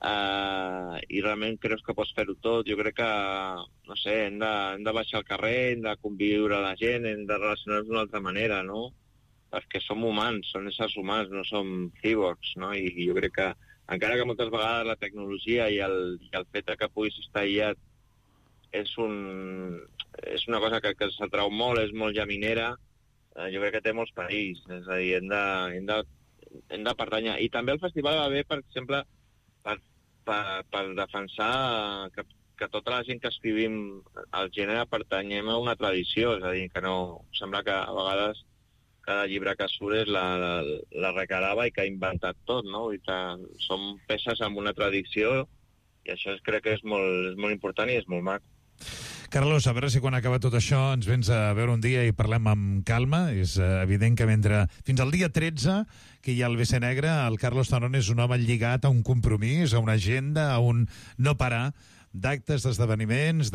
eh, i realment creus que pots fer-ho tot. Jo crec que, no sé, hem de, hem de baixar al carrer, hem de conviure la gent, hem de relacionar-nos d'una altra manera, no? Perquè som humans, som éssers humans, no som cyborgs, no? I, i jo crec que encara que moltes vegades la tecnologia i el, i el fet que puguis estar aïllat és, un, és una cosa que, que s'atrau molt, és molt llaminera, eh, jo crec que té molts perills, és a dir, hem de, hem de, hem de pertànyer. I també el festival va bé, per exemple, per, per, per defensar que, que tota la gent que escrivim al gènere pertanyem a una tradició, és a dir, que no... Sembla que a vegades cada llibre que surt és la, la, la recarava i que ha inventat tot, no? I que som peces amb una tradició i això és, crec que és molt, és molt important i és molt maco. Carlos, a veure si quan acaba tot això ens vens a veure un dia i parlem amb calma. És evident que mentre... Fins al dia tretze, que hi ha el B C Negre, el Carlos Tanón és un home lligat a un compromís, a una agenda, a un no parar d'actes, d'esdeveniments,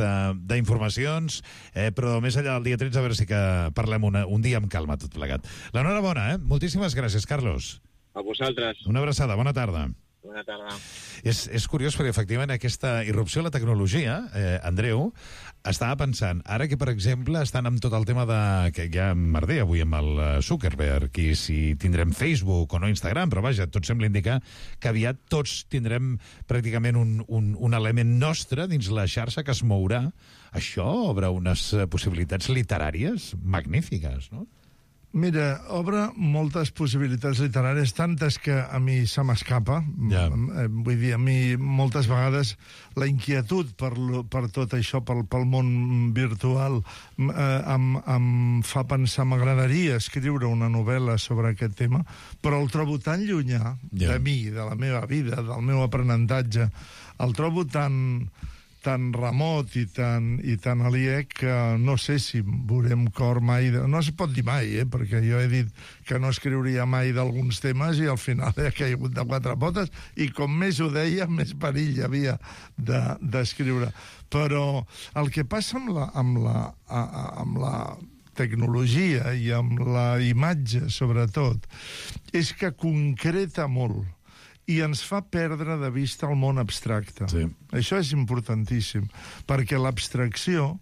d'informacions, eh, però més enllà del dia tretze, a veure si que parlem una, un dia amb calma tot plegat. L'enhorabona, eh? Moltíssimes gràcies, Carlos. A vosaltres. Una abraçada, bona tarda. Bona tarda. És, és curiós perquè, efectivament, aquesta irrupció de la tecnologia, eh, Andreu, estava pensant, ara que, per exemple, estan amb tot el tema de... que ja merder avui amb el Zuckerberg, i si tindrem Facebook o no Instagram, però vaja, tot sembla indicar que aviat tots tindrem pràcticament un, un, un element nostre dins la xarxa que es mourà. Això obre unes possibilitats literàries magnífiques, no? Mira, obre moltes possibilitats literàries, tantes que a mi se m'escapa. Ja. Vull dir, a mi moltes vegades la inquietud per, per tot això, pel, pel món virtual, eh, em, em fa pensar, m'agradaria escriure una novel·la sobre aquest tema, però el trobo tan llunyà ja. de mi, de la meva vida, del meu aprenentatge, el trobo tan... tan remot i tan, i tan aliè que no sé si veurem cor mai... De... No es pot dir mai, eh? Perquè jo he dit que no escriuria mai d'alguns temes i al final he caigut de quatre potes i com més ho deia, més perill hi havia d'escriure. De, Però el que passa amb la, amb la, amb la tecnologia i amb la imatge, sobretot, és que concreta molt i ens fa perdre de vista el món abstracte. Sí. Això és importantíssim, perquè l'abstracció,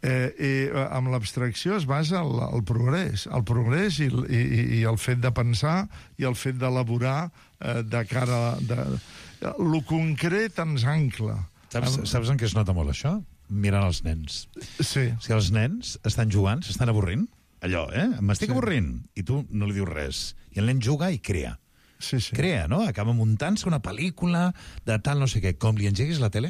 eh, eh, amb l'abstracció es basa el, el progrés, el progrés i, i, i el fet de pensar i el fet d'elaborar eh, de cara... De, lo concret ens ancla. Saps, saps en què es nota molt això? Mirant els nens. Sí. Si els nens estan jugant, s'estan avorrint, allò, eh? M'estic sí. avorrint, i tu no li dius res. I el nen juga i crea. Sí, sí. Crea, no? Acaba muntant-se una pel·lícula de tal no sé què. Com li engeguis la tele?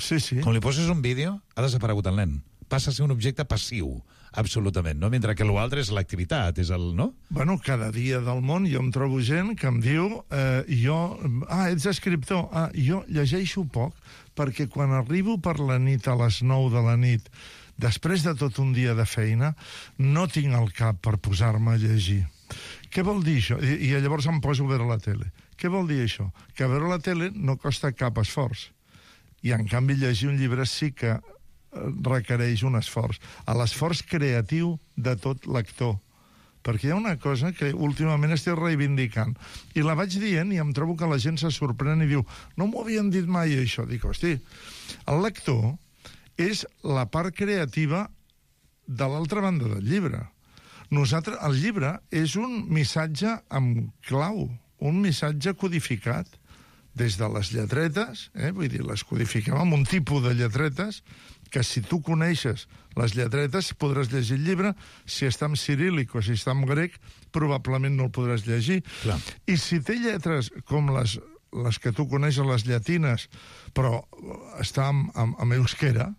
Sí, sí. Com li poses un vídeo, ha desaparegut el nen. Passa a ser un objecte passiu, absolutament, no? Mentre que l'altre és l'activitat, és el... no? Bueno, cada dia del món jo em trobo gent que em diu eh, jo... Ah, ets escriptor. Ah, jo llegeixo poc, perquè quan arribo per la nit a les nou de la nit, després de tot un dia de feina, no tinc el cap per posar-me a llegir. Què vol dir això? I, I llavors em poso a veure la tele. Què vol dir això? Que veure la tele no costa cap esforç. I, en canvi, llegir un llibre sí que requereix un esforç. A l'esforç creatiu de tot lector. Perquè hi ha una cosa que últimament estic reivindicant. I la vaig dient i em trobo que la gent se sorprèn i diu no m'ho havien dit mai, això. Dic, hosti, el lector és la part creativa de l'altra banda del llibre. Nosaltres, el llibre és un missatge amb clau, un missatge codificat des de les lletretes, eh? Vull dir, les codifiquem amb un tipus de lletretes que si tu coneixes les lletretes podràs llegir el llibre. Si està en ciríl·lic o si està en grec, probablement no el podràs llegir. Clar. I si té lletres com les, les que tu coneixes, les llatines, però està en, en, en euskera,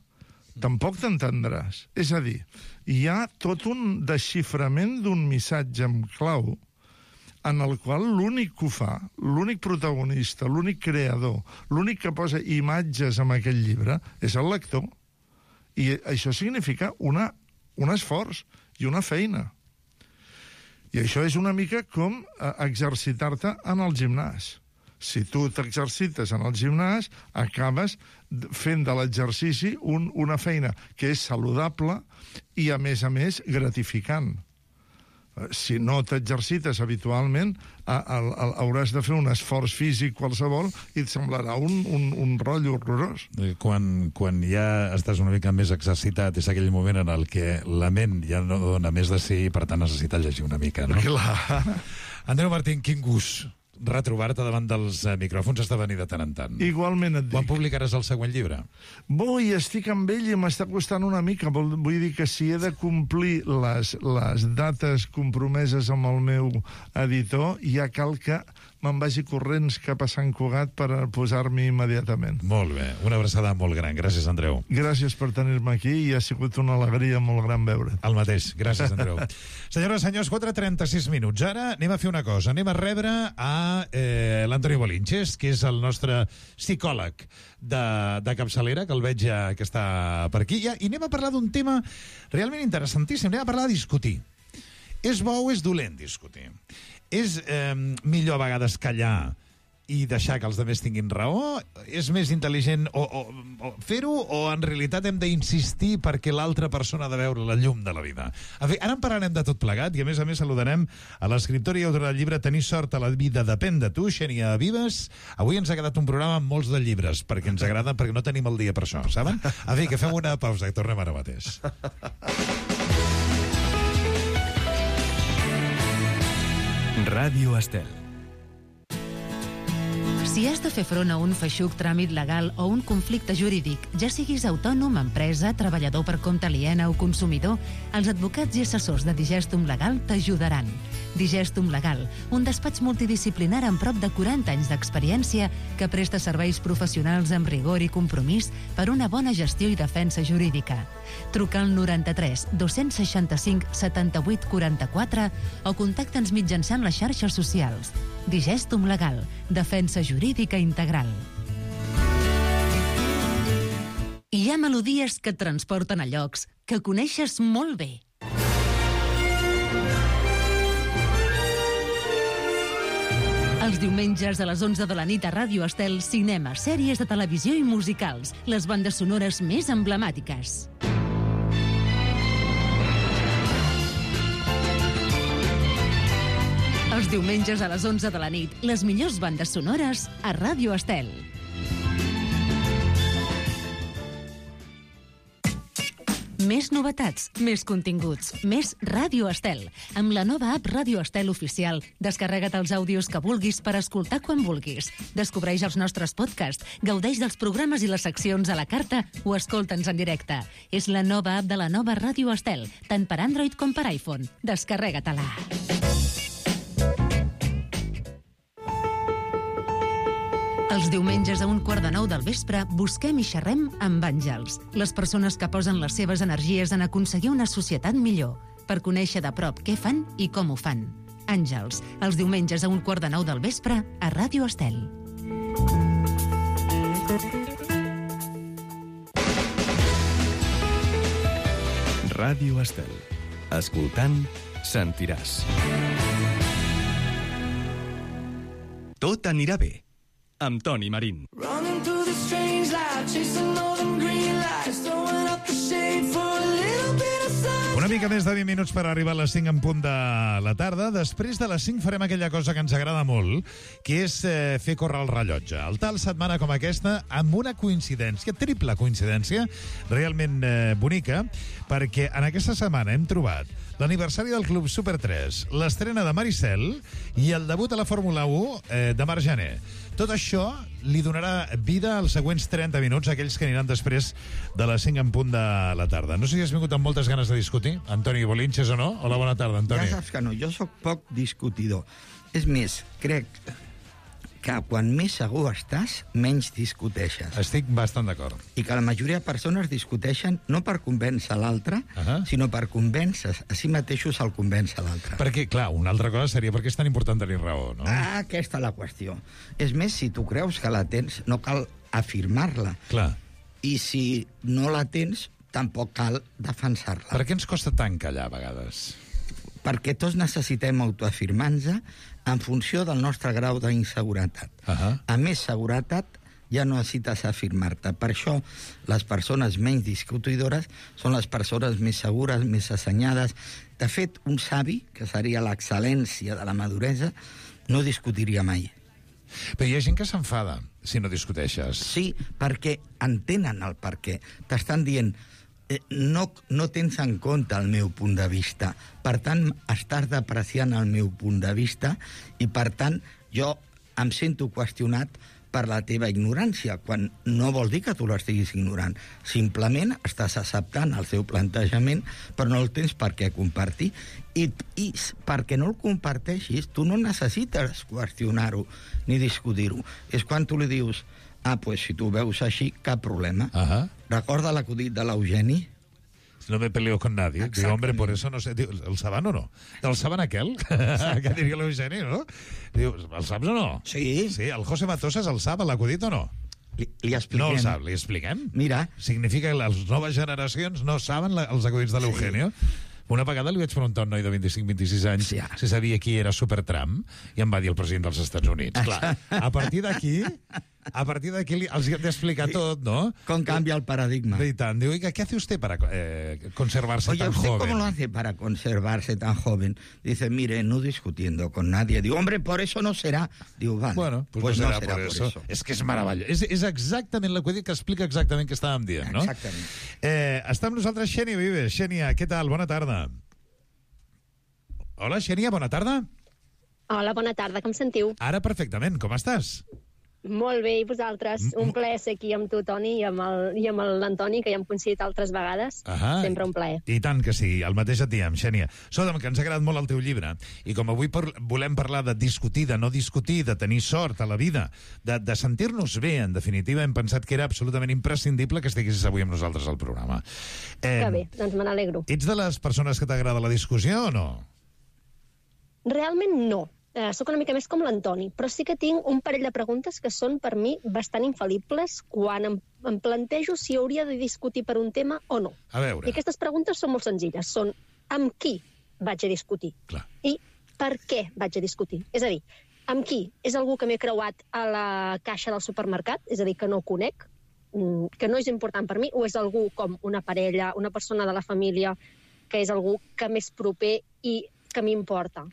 tampoc t'entendràs. És a dir, hi ha tot un desxiframent d'un missatge en clau en el qual l'únic que ho fa, l'únic protagonista, l'únic creador, l'únic que posa imatges en aquell llibre és el lector. I això significa una, un esforç i una feina. I això és una mica com exercitar-te en el gimnàs. Si tu t'exercites en el gimnàs, acabes fent de l'exercici un, una feina que és saludable i, a més a més, gratificant. Si no t'exercites habitualment, a, a, a, hauràs de fer un esforç físic qualsevol i et semblarà un, un, un rotllo horrorós. Quan, quan ja estàs una mica més exercitat, és aquell moment en el que la ment ja no dona més de si i, per tant, necessita llegir una mica, no? Clar. Andreu Martín, quin gust retrobar-te davant dels eh, micròfons, has de venir de tant en tant. Igualment et dic. Quan publicaràs el següent llibre? Vull, estic amb ell i m'està costant una mica. Vull dir que si he de complir les, les dates compromeses amb el meu editor, ja cal que me'n vagi corrents cap a Sant Cugat per posar-m'hi immediatament. Molt bé, una abraçada molt gran. Gràcies, Andreu. Gràcies per tenir-me aquí i ha sigut una alegria molt gran veure't. El mateix, gràcies, Andreu. Senyores, senyors, quatre i trenta-sis minuts. Ara anem a fer una cosa, anem a rebre a eh, l'Antoni Bolinches, que és el nostre psicòleg de, de capçalera, que el veig ja que està per aquí, i anem a parlar d'un tema realment interessantíssim, anem a parlar de discutir. És bo o és dolent discutir? És eh, millor a vegades callar i deixar que els altres tinguin raó? És més intel·ligent o, o, o fer-ho, o en realitat hem d'insistir perquè l'altra persona ha de veure la llum de la vida? En fi, ara en parlarem de tot plegat i a més a més saludarem a l'escriptora i autora del llibre Tenir sort a la vida depèn de tu, Xènia Vives. Avui ens ha quedat un programa amb molts de llibres perquè ens agrada, perquè no tenim el dia per això, saben? En fi, que fem una pausa i tornem ara mateix. Ràdio Estel. Si has de fer front a un feixuc tràmit legal o un conflicte jurídic, ja siguis autònom, empresa, treballador per compte aliena o consumidor, els advocats i assessors de Digestum Legal t'ajudaran. Digestum Legal, un despatx multidisciplinar amb prop de quaranta anys d'experiència que presta serveis professionals amb rigor i compromís per una bona gestió i defensa jurídica. Truca al noranta-tres dos-cents seixanta-cinc setanta-vuit quaranta-quatre o contacta'ns mitjançant les xarxes socials. Digestum Legal, defensa jurídica integral. Hi ha melodies que et transporten a llocs que coneixes molt bé. Els diumenges a les onze de la nit a Ràdio Estel, cinema, sèries de televisió i musicals, les bandes sonores més emblemàtiques. Els diumenges a les onze de la nit, les millors bandes sonores a Ràdio Estel. Més novetats, més continguts, més Ràdio Estel. Amb la nova app Ràdio Estel Oficial, descarrega't els àudios que vulguis per escoltar quan vulguis. Descobreix els nostres podcasts, gaudeix dels programes i les seccions a la carta o escolta'ns en directe. És la nova app de la nova Ràdio Estel, tant per Android com per iPhone. Descarrega-te-la. Els diumenges a un quart de nou del vespre busquem i xerrem amb àngels, les persones que posen les seves energies en aconseguir una societat millor, per conèixer de prop què fan i com ho fan. Àngels, els diumenges a un quart de nou del vespre a Ràdio Estel. Ràdio Estel. Escoltant, sentiràs. Tot anirà bé. Amb Toni Marín. Una mica més de vint minuts per arribar a les cinc en punt de la tarda. Després de les cinc farem aquella cosa que ens agrada molt, que és eh, fer córrer el rellotge. El tal setmana com aquesta, amb una coincidència, triple coincidència, realment eh, bonica, perquè en aquesta setmana hem trobat l'aniversari del Club Super tres, l'estrena de Maricel i el debut a la Fórmula u eh, de Marc Jané. Tot això li donarà vida als següents trenta minuts, aquells que aniran després de les cinc en punt de la tarda. No sé si has vingut amb moltes ganes de discutir, Antoni Bolinches, o no? Hola, bona tarda, Antoni. Ja saps que no, jo sóc poc discutidor. És més, crec que quan més segur estàs, menys discuteixes. Estic bastant d'acord. I que la majoria de persones discuteixen no per convèncer l'altre, uh-huh. sinó per convèncer a si mateixos el convèncer l'altre. Perquè, clar, una altra cosa seria per què és tan important tenir raó, no? Ah, aquesta és la qüestió. És més, si tu creus que la tens, no cal afirmar-la. Clar. I si no la tens, tampoc cal defensar-la. Per què ens costa tant callar, a vegades? Perquè tots necessitem autoafirmar-nos en funció del nostre grau d'inseguretat. Uh-huh. A més seguretat, ja no necessites afirmar-te. Per això, les persones menys discutidores són les persones més segures, més assenyades. De fet, un savi, que seria l'excel·lència de la maduresa, no discutiria mai. Però hi ha gent que s'enfada si no discuteixes. Sí, perquè entenen el per què. T'estan dient... Eh, no, no tens en compte el meu punt de vista. Per tant, estàs depreciant el meu punt de vista i, per tant, jo em sento qüestionat per la teva ignorància, quan no vol dir que tu l'estiguis ignorant. Simplement estàs acceptant el seu plantejament, però no el tens per què compartir. I, i perquè no el comparteixis, tu no necessites qüestionar-ho ni discutir-ho. És quan tu li dius... Ah, pues si tu veus així, cap problema. Uh-huh. Recorda l'acudit de l'Eugeni? No me peleo con nadie. Digo, hombre, por eso no sé... Diu, el saben o no? El saben aquel? Que diria l'Eugeni, no? Diu, el saps o no? Sí. Sí, el José Matosas el sap, l'acudit o no? Li, li expliquem. No el sap, li expliquem? Mira. Significa que les noves generacions no saben la, els acudits de l'Eugenio? Sí. Una vegada li vaig preguntar a un noi de vint-i-cinc vint-i-sis anys sí, si sabia qui era Supertramp i em va dir el president dels Estats Units. Clar, a partir d'aquí, a partir d'aquí els hem d'explicar sí. tot, ¿no? Com canvia el paradigma. Y tan, digo, ¿qué hace usted para eh, conservarse Oye, tan ¿usted joven? cómo lo hace para conservarse tan joven? Dice, mire, no discutiendo con nadie. Digo, hombre, por eso no será. Digo, vale, bueno, pues, pues no, no serà, serà por, por eso. eso. És que és meravellós. És, és exactament l'acudit que explica exactament què estàvem dient, no? Exactament. Eh, està amb nosaltres Xènia Vives. Xènia, què tal? Bona tarda. Hola, Xènia, bona tarda. Hola, bona tarda, com sentiu? Ara perfectament, com estàs? Molt bé, i vosaltres? Mm. Un plaer ser aquí amb tu, Toni, i amb el- i amb l'Antoni, que ja hem coincidit altres vegades. Ahà. Sempre un plaer. I tant que sí, el mateix et diem, Xènia. Escolta'm, que ens ha agradat molt el teu llibre, i com avui par volem parlar de discutir, de no discutir, de tenir sort a la vida, de, de sentir-nos bé, en definitiva, hem pensat que era absolutament imprescindible que estiguessis avui amb nosaltres al programa. Eh, que bé, doncs me n'alegro. Ets de les persones que t'agrada la discussió o no? Realment no. Eh, soc una mica més com l'Antoni, però sí que tinc un parell de preguntes que són per mi bastant infal·libles quan em, em plantejo si hauria de discutir per un tema o no. A veure. I aquestes preguntes són molt senzilles. Són amb qui vaig a discutir? Clar. I per què vaig a discutir? És a dir, amb qui? És algú que m'he creuat a la caixa del supermercat? És a dir, que no conec? Que no és important per mi? O és algú com una parella, una persona de la família, que és algú que m'és proper i que m'importa?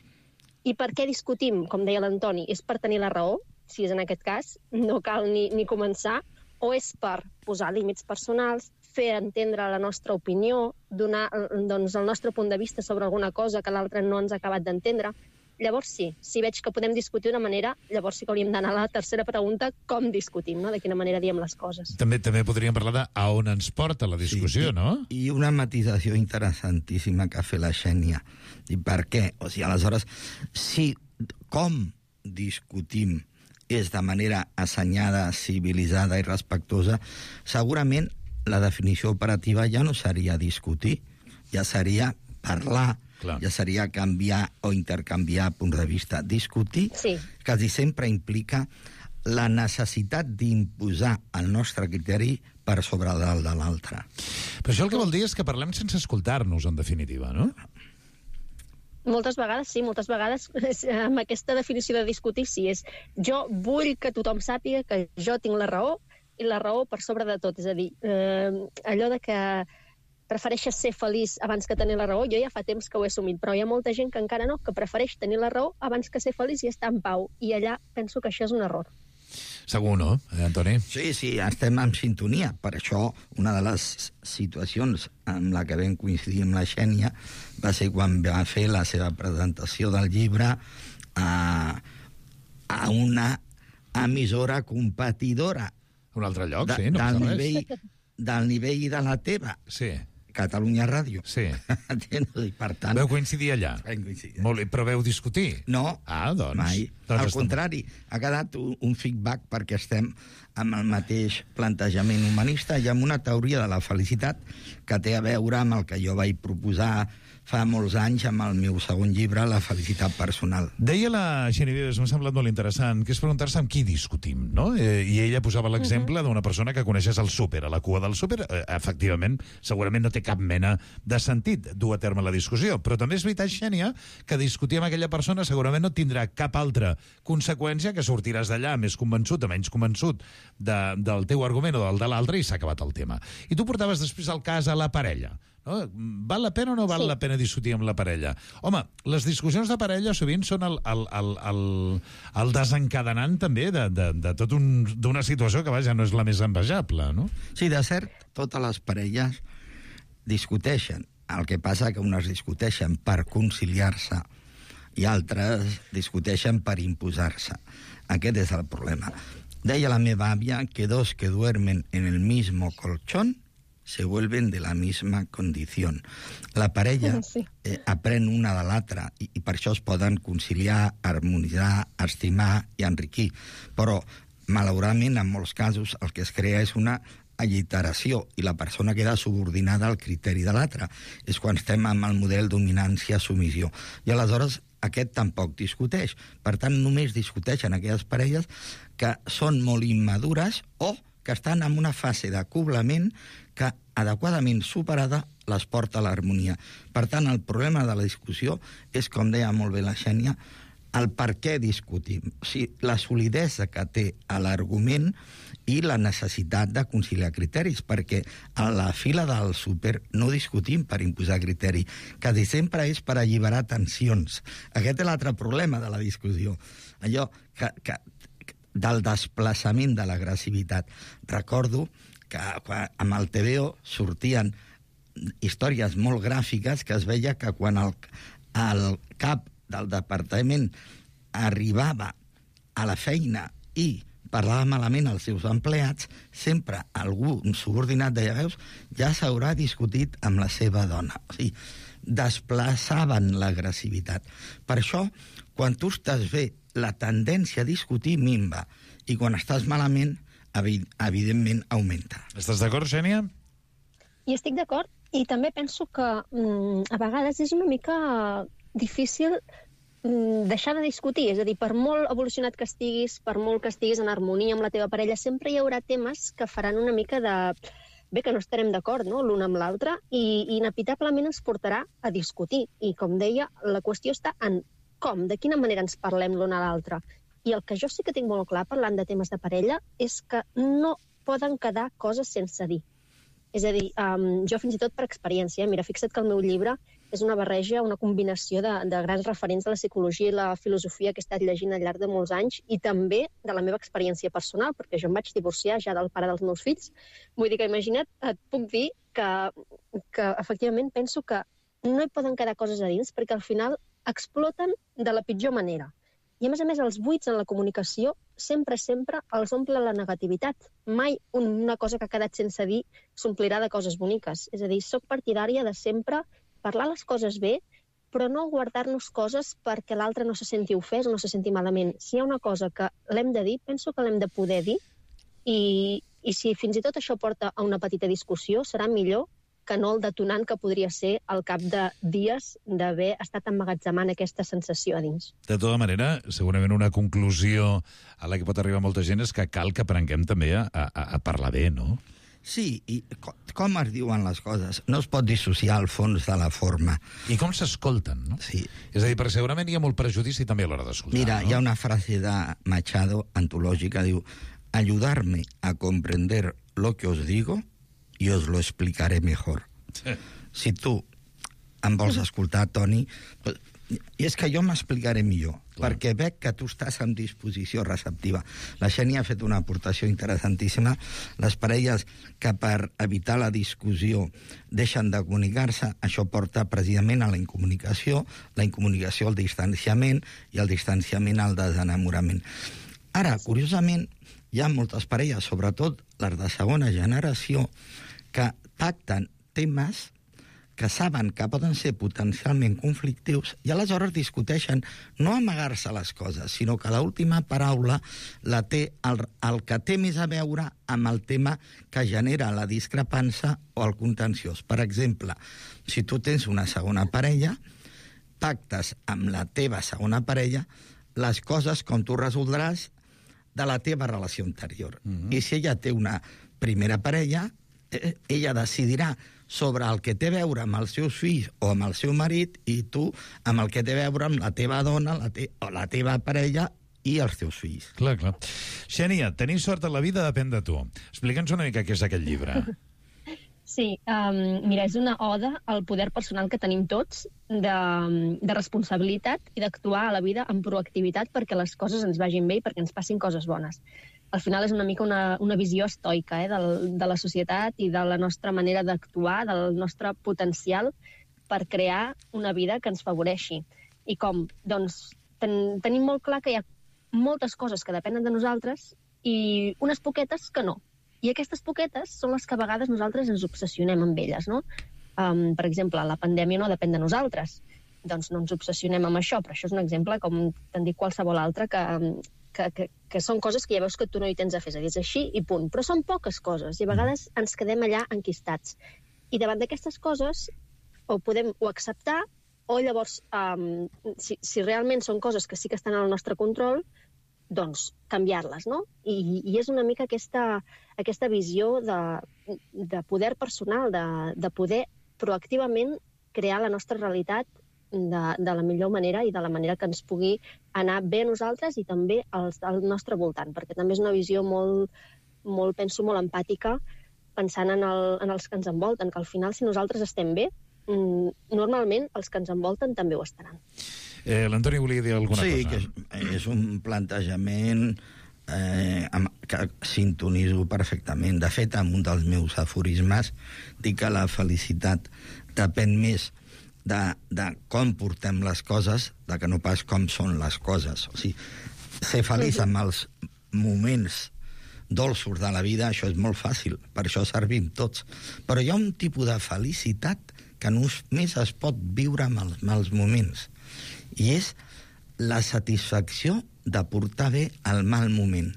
I per què discutim, com deia l'Antoni? És per tenir la raó, si és en aquest cas, no cal ni, ni començar, o és per posar límits personals, fer entendre la nostra opinió, donar doncs, el nostre punt de vista sobre alguna cosa que l'altre no ens ha acabat d'entendre? Llavors sí, si veig que podem discutir d'una manera, llavors sí que hauríem d'anar a la tercera pregunta, com discutim, no? De quina manera diem les coses. També també podríem parlar de a on ens porta la discussió, sí, no? I una matisació interessantíssima que ha fet la Xènia. I per què? O sigui, aleshores, si com discutim és de manera assenyada, civilitzada i respectuosa, segurament la definició operativa ja no seria discutir, ja seria parlar, clar, ja seria canviar o intercanviar punts de vista. Discutir sí. quasi sempre implica la necessitat d'imposar el nostre criteri per sobre del de l'altre. Però això el que vol dir és que parlem sense escoltar-nos, en definitiva, no? Moltes vegades, sí, moltes vegades amb aquesta definició de discutir, sí, és jo vull que tothom sàpiga que jo tinc la raó i la raó per sobre de tot. És a dir, eh, allò de que prefereixes ser feliç abans que tenir la raó, jo ja fa temps que ho he assumit, però hi ha molta gent que encara no, que prefereix tenir la raó abans que ser feliç i estar en pau. I allà penso que això és un error. Segur, no, eh, Antoni? Sí, sí, estem en sintonia. Per això, una de les situacions amb la que vam coincidir amb la Xènia va ser quan va fer la seva presentació del llibre a, a una emissora competidora. Un altre lloc, de, sí, no del passa nivell, res. Del nivell de la teva. Sí. Catalunya Ràdio. Sí. I per tant... Veu coincidir allà? Vam coincidir. Molt bé, però veu discutir? No, ah, doncs, mai. Doncs Al estem... contrari, ha quedat un, un feedback perquè estem amb el mateix plantejament humanista i amb una teoria de la felicitat que té a veure amb el que jo vaig proposar fa molts anys amb el meu segon llibre, La felicitat personal. Deia la Xènia Vives, m'ha semblat molt interessant, que és preguntar-se amb qui discutim, no? Eh, I ella posava l'exemple uh-huh. d'una persona que coneixes al súper, a la cua del súper. Eh, efectivament, segurament no té cap mena de sentit dur a terme la discussió, però també és veritat, Xènia, que discutir amb aquella persona segurament no tindrà cap altra conseqüència que sortiràs d'allà més convençut o menys convençut de, del teu argument o del de l'altre i s'ha acabat el tema. I tu portaves després el cas a la parella. No? Val la pena o no val sí. la pena discutir amb la parella? Home, les discussions de parella sovint són el, el, el, el, el desencadenant també de, de, de tot un, d'una situació que vaja no és la més envejable, no? Sí, de cert, totes les parelles discuteixen. El que passa que unes discuteixen per conciliar-se i altres discuteixen per imposar-se. Aquest és el problema. Deia la meva àvia que dos que duermen en el mismo colchón se vuelven de la misma condición. La parella sí. eh, aprèn una de l'altra i, i per això es poden conciliar, harmonitzar, estimar i enriquir. Però, malauradament, en molts casos, el que es crea és una alliteració i la persona queda subordinada al criteri de l'altre. És quan estem amb el model dominància-submissió. I aleshores aquest tampoc discuteix. Per tant, només discuteixen aquelles parelles que són molt immadures o que estan en una fase d'acoblament que, adequadament superada, les porta a l'harmonia. Per tant, el problema de la discussió és, com deia molt bé la Xènia, el per què discutim. O sigui, la solidesa que té l'argument i la necessitat de conciliar criteris, perquè a la fila del súper no discutim per imposar criteri, quasi sempre és per alliberar tensions. Aquest és l'altre problema de la discussió. Allò que, que del desplaçament de l'agressivitat. Recordo que quan, amb el T V O sortien històries molt gràfiques que es veia que quan el, el cap del departament arribava a la feina i parlava malament als seus empleats, sempre algú, un subordinat, deia, veus, ja s'haurà discutit amb la seva dona. O sigui, desplaçaven l'agressivitat. Per això, quan tu estàs bé, la tendència a discutir minva, i quan estàs malament, evidentment augmenta. Estàs d'acord, Xènia? I estic d'acord, i també penso que mm, a vegades és una mica difícil mm, deixar de discutir, és a dir, per molt evolucionat que estiguis, per molt que estiguis en harmonia amb la teva parella, sempre hi haurà temes que faran una mica de... bé, que no estarem d'acord, no?, l'un amb l'altre, i, i inevitablement ens portarà a discutir. I, com deia, la qüestió està en com, de quina manera ens parlem l'un a l'altre. I el que jo sí que tinc molt clar, parlant de temes de parella, és que no poden quedar coses sense dir. És a dir, um, jo fins i tot per experiència, mira, fixa't que el meu llibre és una barreja, una combinació de, de grans referents de la psicologia i la filosofia que he estat llegint al llarg de molts anys i també de la meva experiència personal, perquè jo em vaig divorciar ja del pare dels meus fills. Vull dir que, imagina't, et puc dir que, que efectivament penso que no hi poden quedar coses a dins perquè al final exploten de la pitjor manera. I, a més a més, els buits en la comunicació sempre, sempre els omple la negativitat. Mai una cosa que ha quedat sense dir s'omplirà de coses boniques. És a dir, soc partidària de sempre parlar les coses bé, però no guardar-nos coses perquè l'altre no se senti ofès o no se senti malament. Si hi ha una cosa que l'hem de dir, penso que l'hem de poder dir, i, i si fins i tot això porta a una petita discussió, serà millor que no el detonant que podria ser al cap de dies d'haver estat emmagatzemant aquesta sensació a dins. De tota manera, segurament una conclusió a la que pot arribar molta gent és que cal que aprenguem també a, a, a parlar bé, no? Sí, i com es diuen les coses? No es pot dissociar el fons de la forma. I com s'escolten, no? Sí. És a dir, perquè segurament hi ha molt prejudici també a l'hora d'escoltar. Mira, no? Hi ha una frase de Machado, antològica, diu: ayudarme a comprender lo que os digo y os lo explicaré mejor. Sí. Si tu em vols escoltar, Toni, I és que jo m'explicaré millor, clar, perquè veig que tu estàs en disposició receptiva. La Xènia ha fet una aportació interessantíssima. Les parelles que per evitar la discussió deixen de comunicar-se, això porta precisament a la incomunicació, la incomunicació al distanciament i el distanciament al desenamorament. Ara, curiosament, hi ha moltes parelles, sobretot les de segona generació, que pacten temes que saben que poden ser potencialment conflictius i aleshores discuteixen no amagar-se les coses, sinó que l'última paraula la té el, el que té més a veure amb el tema que genera la discrepància o el contenciós. Per exemple, si tu tens una segona parella, pactes amb la teva segona parella les coses com tu resoldràs de la teva relació anterior. Mm-hmm. I si ella té una primera parella, eh, ella decidirà sobre el que té a veure amb els seus fills o amb el seu marit i tu amb el que té a veure amb la teva dona la te o la teva parella i els teus fills. Clar, clar. Xènia, tenir sort a la vida depèn de tu. Explica'ns una mica què és aquest llibre. Sí, um, mira, és una oda al poder personal que tenim tots de, de responsabilitat i d'actuar a la vida amb proactivitat perquè les coses ens vagin bé i perquè ens passin coses bones. Al final és una mica una, una visió estoica eh, del, de la societat i de la nostra manera d'actuar, del nostre potencial per crear una vida que ens favoreixi. I com? Doncs ten, tenim molt clar que hi ha moltes coses que depenen de nosaltres i unes poquetes que no. I aquestes poquetes són les que a vegades nosaltres ens obsessionem amb elles, no? Um, per exemple, la pandèmia no depèn de nosaltres, doncs no ens obsessionem amb això, però això és un exemple, com t'han dit qualsevol altre, que, que, que, que són coses que ja veus que tu no hi tens a fer, és a dir, és així i punt. Però són poques coses i a vegades ens quedem allà enquistats. I davant d'aquestes coses ho podem o acceptar o llavors, um, si, si realment són coses que sí que estan al nostre control, doncs canviar-les, no? I, i és una mica aquesta, aquesta visió de, de poder personal, de, de poder proactivament crear la nostra realitat de, de la millor manera i de la manera que ens pugui anar bé a nosaltres i també als, al nostre voltant, perquè també és una visió molt, molt penso, molt empàtica, pensant en, el, en els que ens envolten, que al final, si nosaltres estem bé, normalment els que ens envolten també ho estaran. Eh, L'Antoni volia dir alguna sí, cosa. Sí, que és, és un plantejament eh, amb, que sintonizo perfectament. De fet, en un dels meus aforismes dic que la felicitat depèn més de, de com portem les coses de que no pas com són les coses. O sigui, ser feliç amb els moments dolços de la vida, això és molt fàcil, per això servim tots. Però hi ha un tipus de felicitat que només es pot viure amb els mals moments. I és la satisfacció de portar bé el mal moment.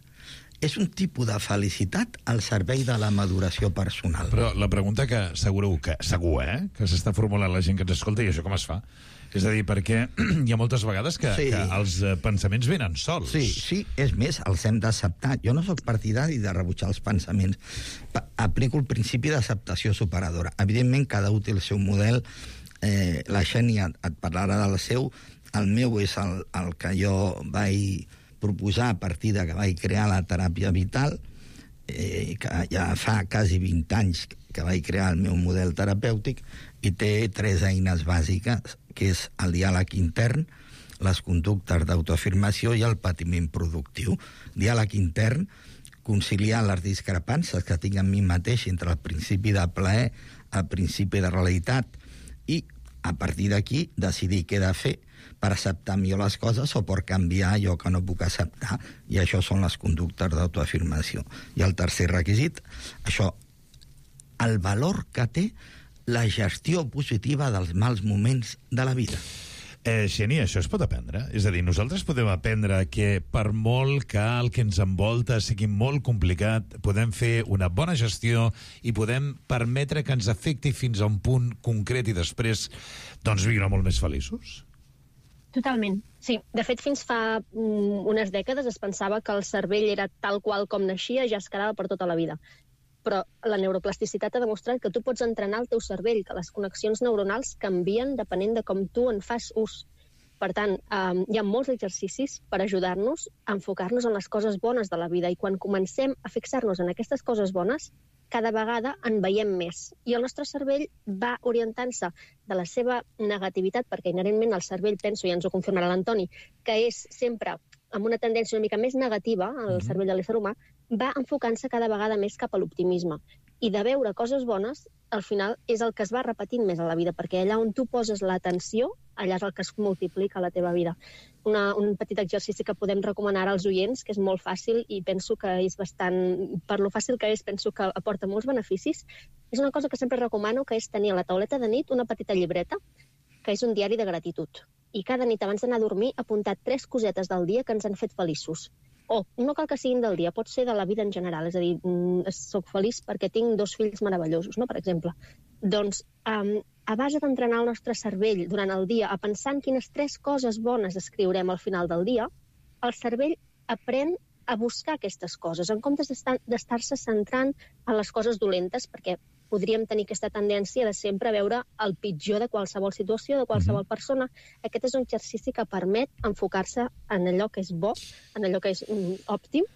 És un tipus de felicitat al servei de la maduració personal. Però la pregunta que segur que, segur, eh, que s'està formulant la gent que ens escolta, i això com es fa? És a dir, perquè hi ha moltes vegades que, sí. que els pensaments venen sols. Sí, sí, és més, els hem d'acceptar. Jo no sóc partidari de rebutjar els pensaments. Aplico el principi d'acceptació superadora. Evidentment, cada un té el seu model. Eh, la Xènia et parlarà del seu. El meu és el, el que jo vaig proposar a partir de que vaig crear la teràpia vital, eh, que ja fa quasi vint anys que vaig crear el meu model terapèutic, i té tres eines bàsiques, que és el diàleg intern, les conductes d'autoafirmació i el patiment productiu. Diàleg intern, conciliar les discrepàncies que tinc en mi mateix entre el principi de plaer, el principi de realitat, i a partir d'aquí decidir què he de fer per acceptar millor les coses o per canviar allò que no puc acceptar, i això són les conductes d'autoafirmació. I el tercer requisit, això, el valor que té la gestió positiva dels mals moments de la vida. Eh, Xènia, això es pot aprendre? És a dir, nosaltres podem aprendre que per molt que el que ens envolta sigui molt complicat, podem fer una bona gestió i podem permetre que ens afecti fins a un punt concret i després doncs viure molt més feliços? Totalment, sí. De fet, fins fa mm, unes dècades es pensava que el cervell era tal qual com naixia i ja es quedava per tota la vida. Però la neuroplasticitat ha demostrat que tu pots entrenar el teu cervell, que les connexions neuronals canvien depenent de com tu en fas ús. Per tant, eh, hi ha molts exercicis per ajudar-nos a enfocar-nos en les coses bones de la vida, i quan comencem a fixar-nos en aquestes coses bones, cada vegada en veiem més. I el nostre cervell va orientant-se de la seva negativitat, perquè inherentment el cervell, penso, i ens ho confirmarà l'Antoni, que és sempre amb una tendència una mica més negativa, el Mhm. cervell de l'ésser humà, va enfocant-se cada vegada més cap a l'optimisme. I de veure coses bones, al final, és el que es va repetint més a la vida, perquè allà on tu poses l'atenció, allà és el que es multiplica a la teva vida. Una, un petit exercici que podem recomanar als oients, que és molt fàcil i penso que és bastant... Per lo fàcil que és, penso que aporta molts beneficis. És una cosa que sempre recomano, que és tenir a la tauleta de nit una petita llibreta, que és un diari de gratitud. I cada nit, abans d'anar a dormir, apuntar tres cosetes del dia que ens han fet feliços. O no cal que siguin del dia, pot ser de la vida en general. És a dir, mm, soc feliç perquè tinc dos fills meravellosos, no? Per exemple. Doncs, um, a base d'entrenar el nostre cervell durant el dia a pensar en quines tres coses bones escriurem al final del dia, el cervell aprèn a buscar aquestes coses, en comptes d'estar-se centrant en les coses dolentes, perquè podríem tenir aquesta tendència de sempre veure el pitjor de qualsevol situació, de qualsevol mm-hmm. persona. Aquest és un exercici que permet enfocar-se en allò que és bo, en allò que és mm, òptim,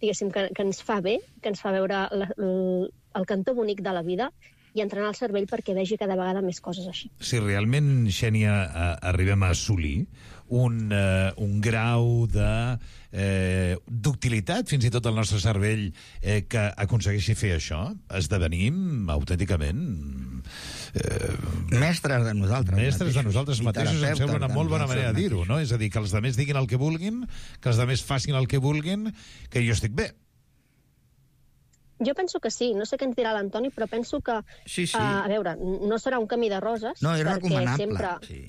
diguéssim, que, que ens fa bé, que ens fa veure la, el, el cantó bonic de la vida i entrenar el cervell perquè vegi cada vegada més coses així. Si realment, Xènia, a, arribem a assolir un, uh, un grau de eh, d'utilitat, fins i tot el nostre cervell, eh, que aconsegueixi fer això, esdevenim autènticament... Eh, mestres de nosaltres mestres mateixos. de nosaltres mateixos, em sembla una molt bona manera de dir-ho, no? És a dir, que els altres diguin el que vulguin, que els altres facin el que vulguin, que jo estic bé. Jo penso que sí, no sé què ens dirà l'Antoni, però penso que, sí, sí. Uh, a veure, no serà un camí de roses. No, és recomanable, sempre... sí.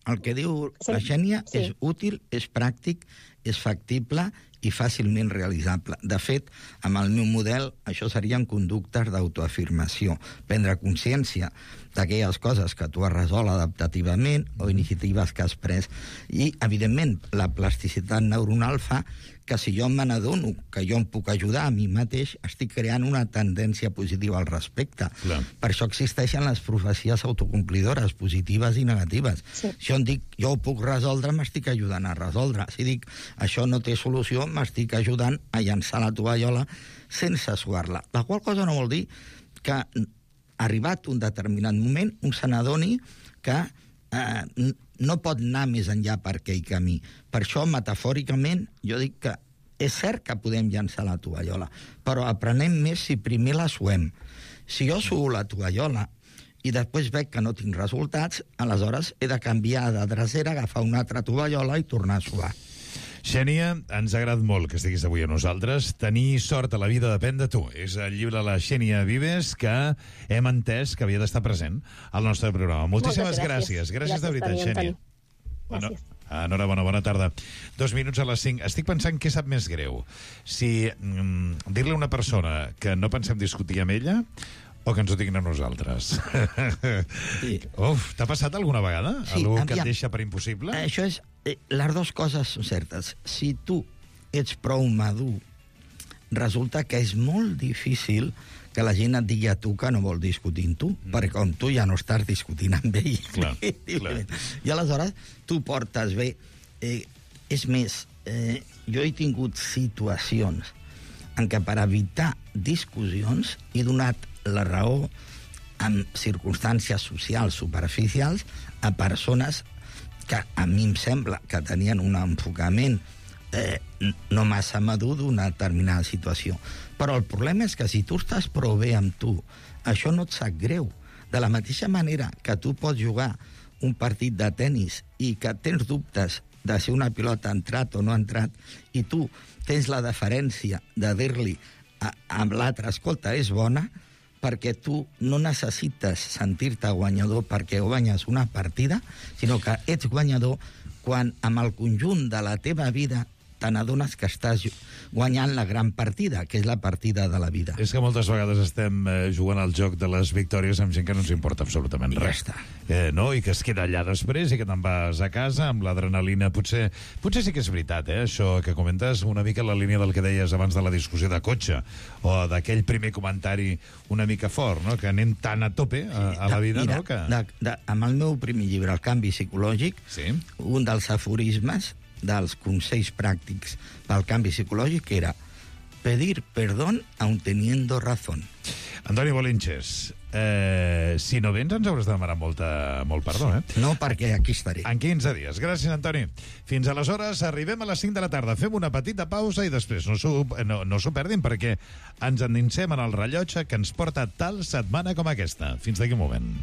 El que diu Sem... la Xènia sí. és útil, és pràctic, és factible i fàcilment realitzable. De fet, amb el meu model, això serien conductes d'autoafirmació. Prendre consciència d'aquelles coses que tu has resolt adaptativament o iniciatives que has pres. I, evidentment, la plasticitat neuronal fa que si jo me n'adono que jo em puc ajudar a mi mateix, estic creant una tendència positiva al respecte. Clar. Per això existeixen les profecies autocomplidores, positives i negatives. Sí. Si jo dic, jo ho puc resoldre, m'estic ajudant a resoldre. Si dic, això no té solució, m'estic ajudant a llançar la tovallola sense suar-la. La qual cosa no vol dir que, arribat un determinat moment, un se n'adoni que eh, no pot anar més enllà per aquell camí. Per això, metafòricament, jo dic que és cert que podem llançar la tovallola, però aprenem més si primer la suem. Si jo suo la tovallola i després veig que no tinc resultats, aleshores he de canviar de drecera, agafar una altra tovallola i tornar a suar. Xènia, ens ha agradat molt que estiguis avui a nosaltres. Tenir sort a la vida depèn de tu. És el llibre de la Xènia Vives que hem entès que havia d'estar present al nostre programa. Moltíssimes gràcies. Gràcies, gràcies de veritat, Xènia. Bueno, enhorabona, bona tarda. Dos minuts a les cinc. Estic pensant què sap més greu. Si mm, dir-li a una persona que no pensem discutir amb ella o que ens ho diguin a nosaltres. Sí. Uf, t'ha passat alguna vegada? Sí, algú que et deixa per impossible? Això és... Eh, les dues coses són certes. Si tu ets prou madur, resulta que és molt difícil que la gent et digui a tu que no vol discutir amb tu, mm. perquè com tu ja no estàs discutint amb ell. Clar, clar. I aleshores tu portes bé. Eh, és més, eh, jo he tingut situacions en què per evitar discussions he donat la raó en circumstàncies socials superficials a persones que a mi em sembla que tenien un enfocament eh, no massa madur d'una determinada situació. Però el problema és que si tu estàs prou bé amb tu, això no et sap greu. De la mateixa manera que tu pots jugar un partit de tennis i que tens dubtes de si una pilota ha entrat o no ha entrat, i tu tens la deferència de dir-li a, a l'altre, escolta, és bona, perquè tu no necessites sentir-te guanyador perquè guanyes una partida, sinó que ets guanyador quan amb el conjunt de la teva vida te n'adones que estàs guanyant la gran partida, que és la partida de la vida. És que moltes vegades estem eh, jugant al joc de les victòries amb gent que no ens importa absolutament I res. Ja està. Eh, no? I que es queda allà després i que te'n vas a casa amb l'adrenalina. Potser, potser sí que és veritat, eh, això que comentes, una mica la línia del que deies abans de la discussió de cotxe, o d'aquell primer comentari una mica fort, no? Que anem tan a tope a, a la vida, Mira, no? Que... de, de, amb el meu primer llibre, El canvi psicològic, sí? Un dels aforismes dels consells pràctics pel canvi psicològic era pedir perdón aun teniendo razón. Antoni Bolinches, eh, si no vens ens hauràs de demanar molta, molt perdó, eh? No, perquè aquí estaré. En quinze dies. Gràcies, Antoni. Fins aleshores, arribem a les cinc de la tarda. Fem una petita pausa i després no s'ho no, no s'ho perdin perquè ens endinsem en el rellotge que ens porta tal setmana com aquesta. Fins d'aquí un moment.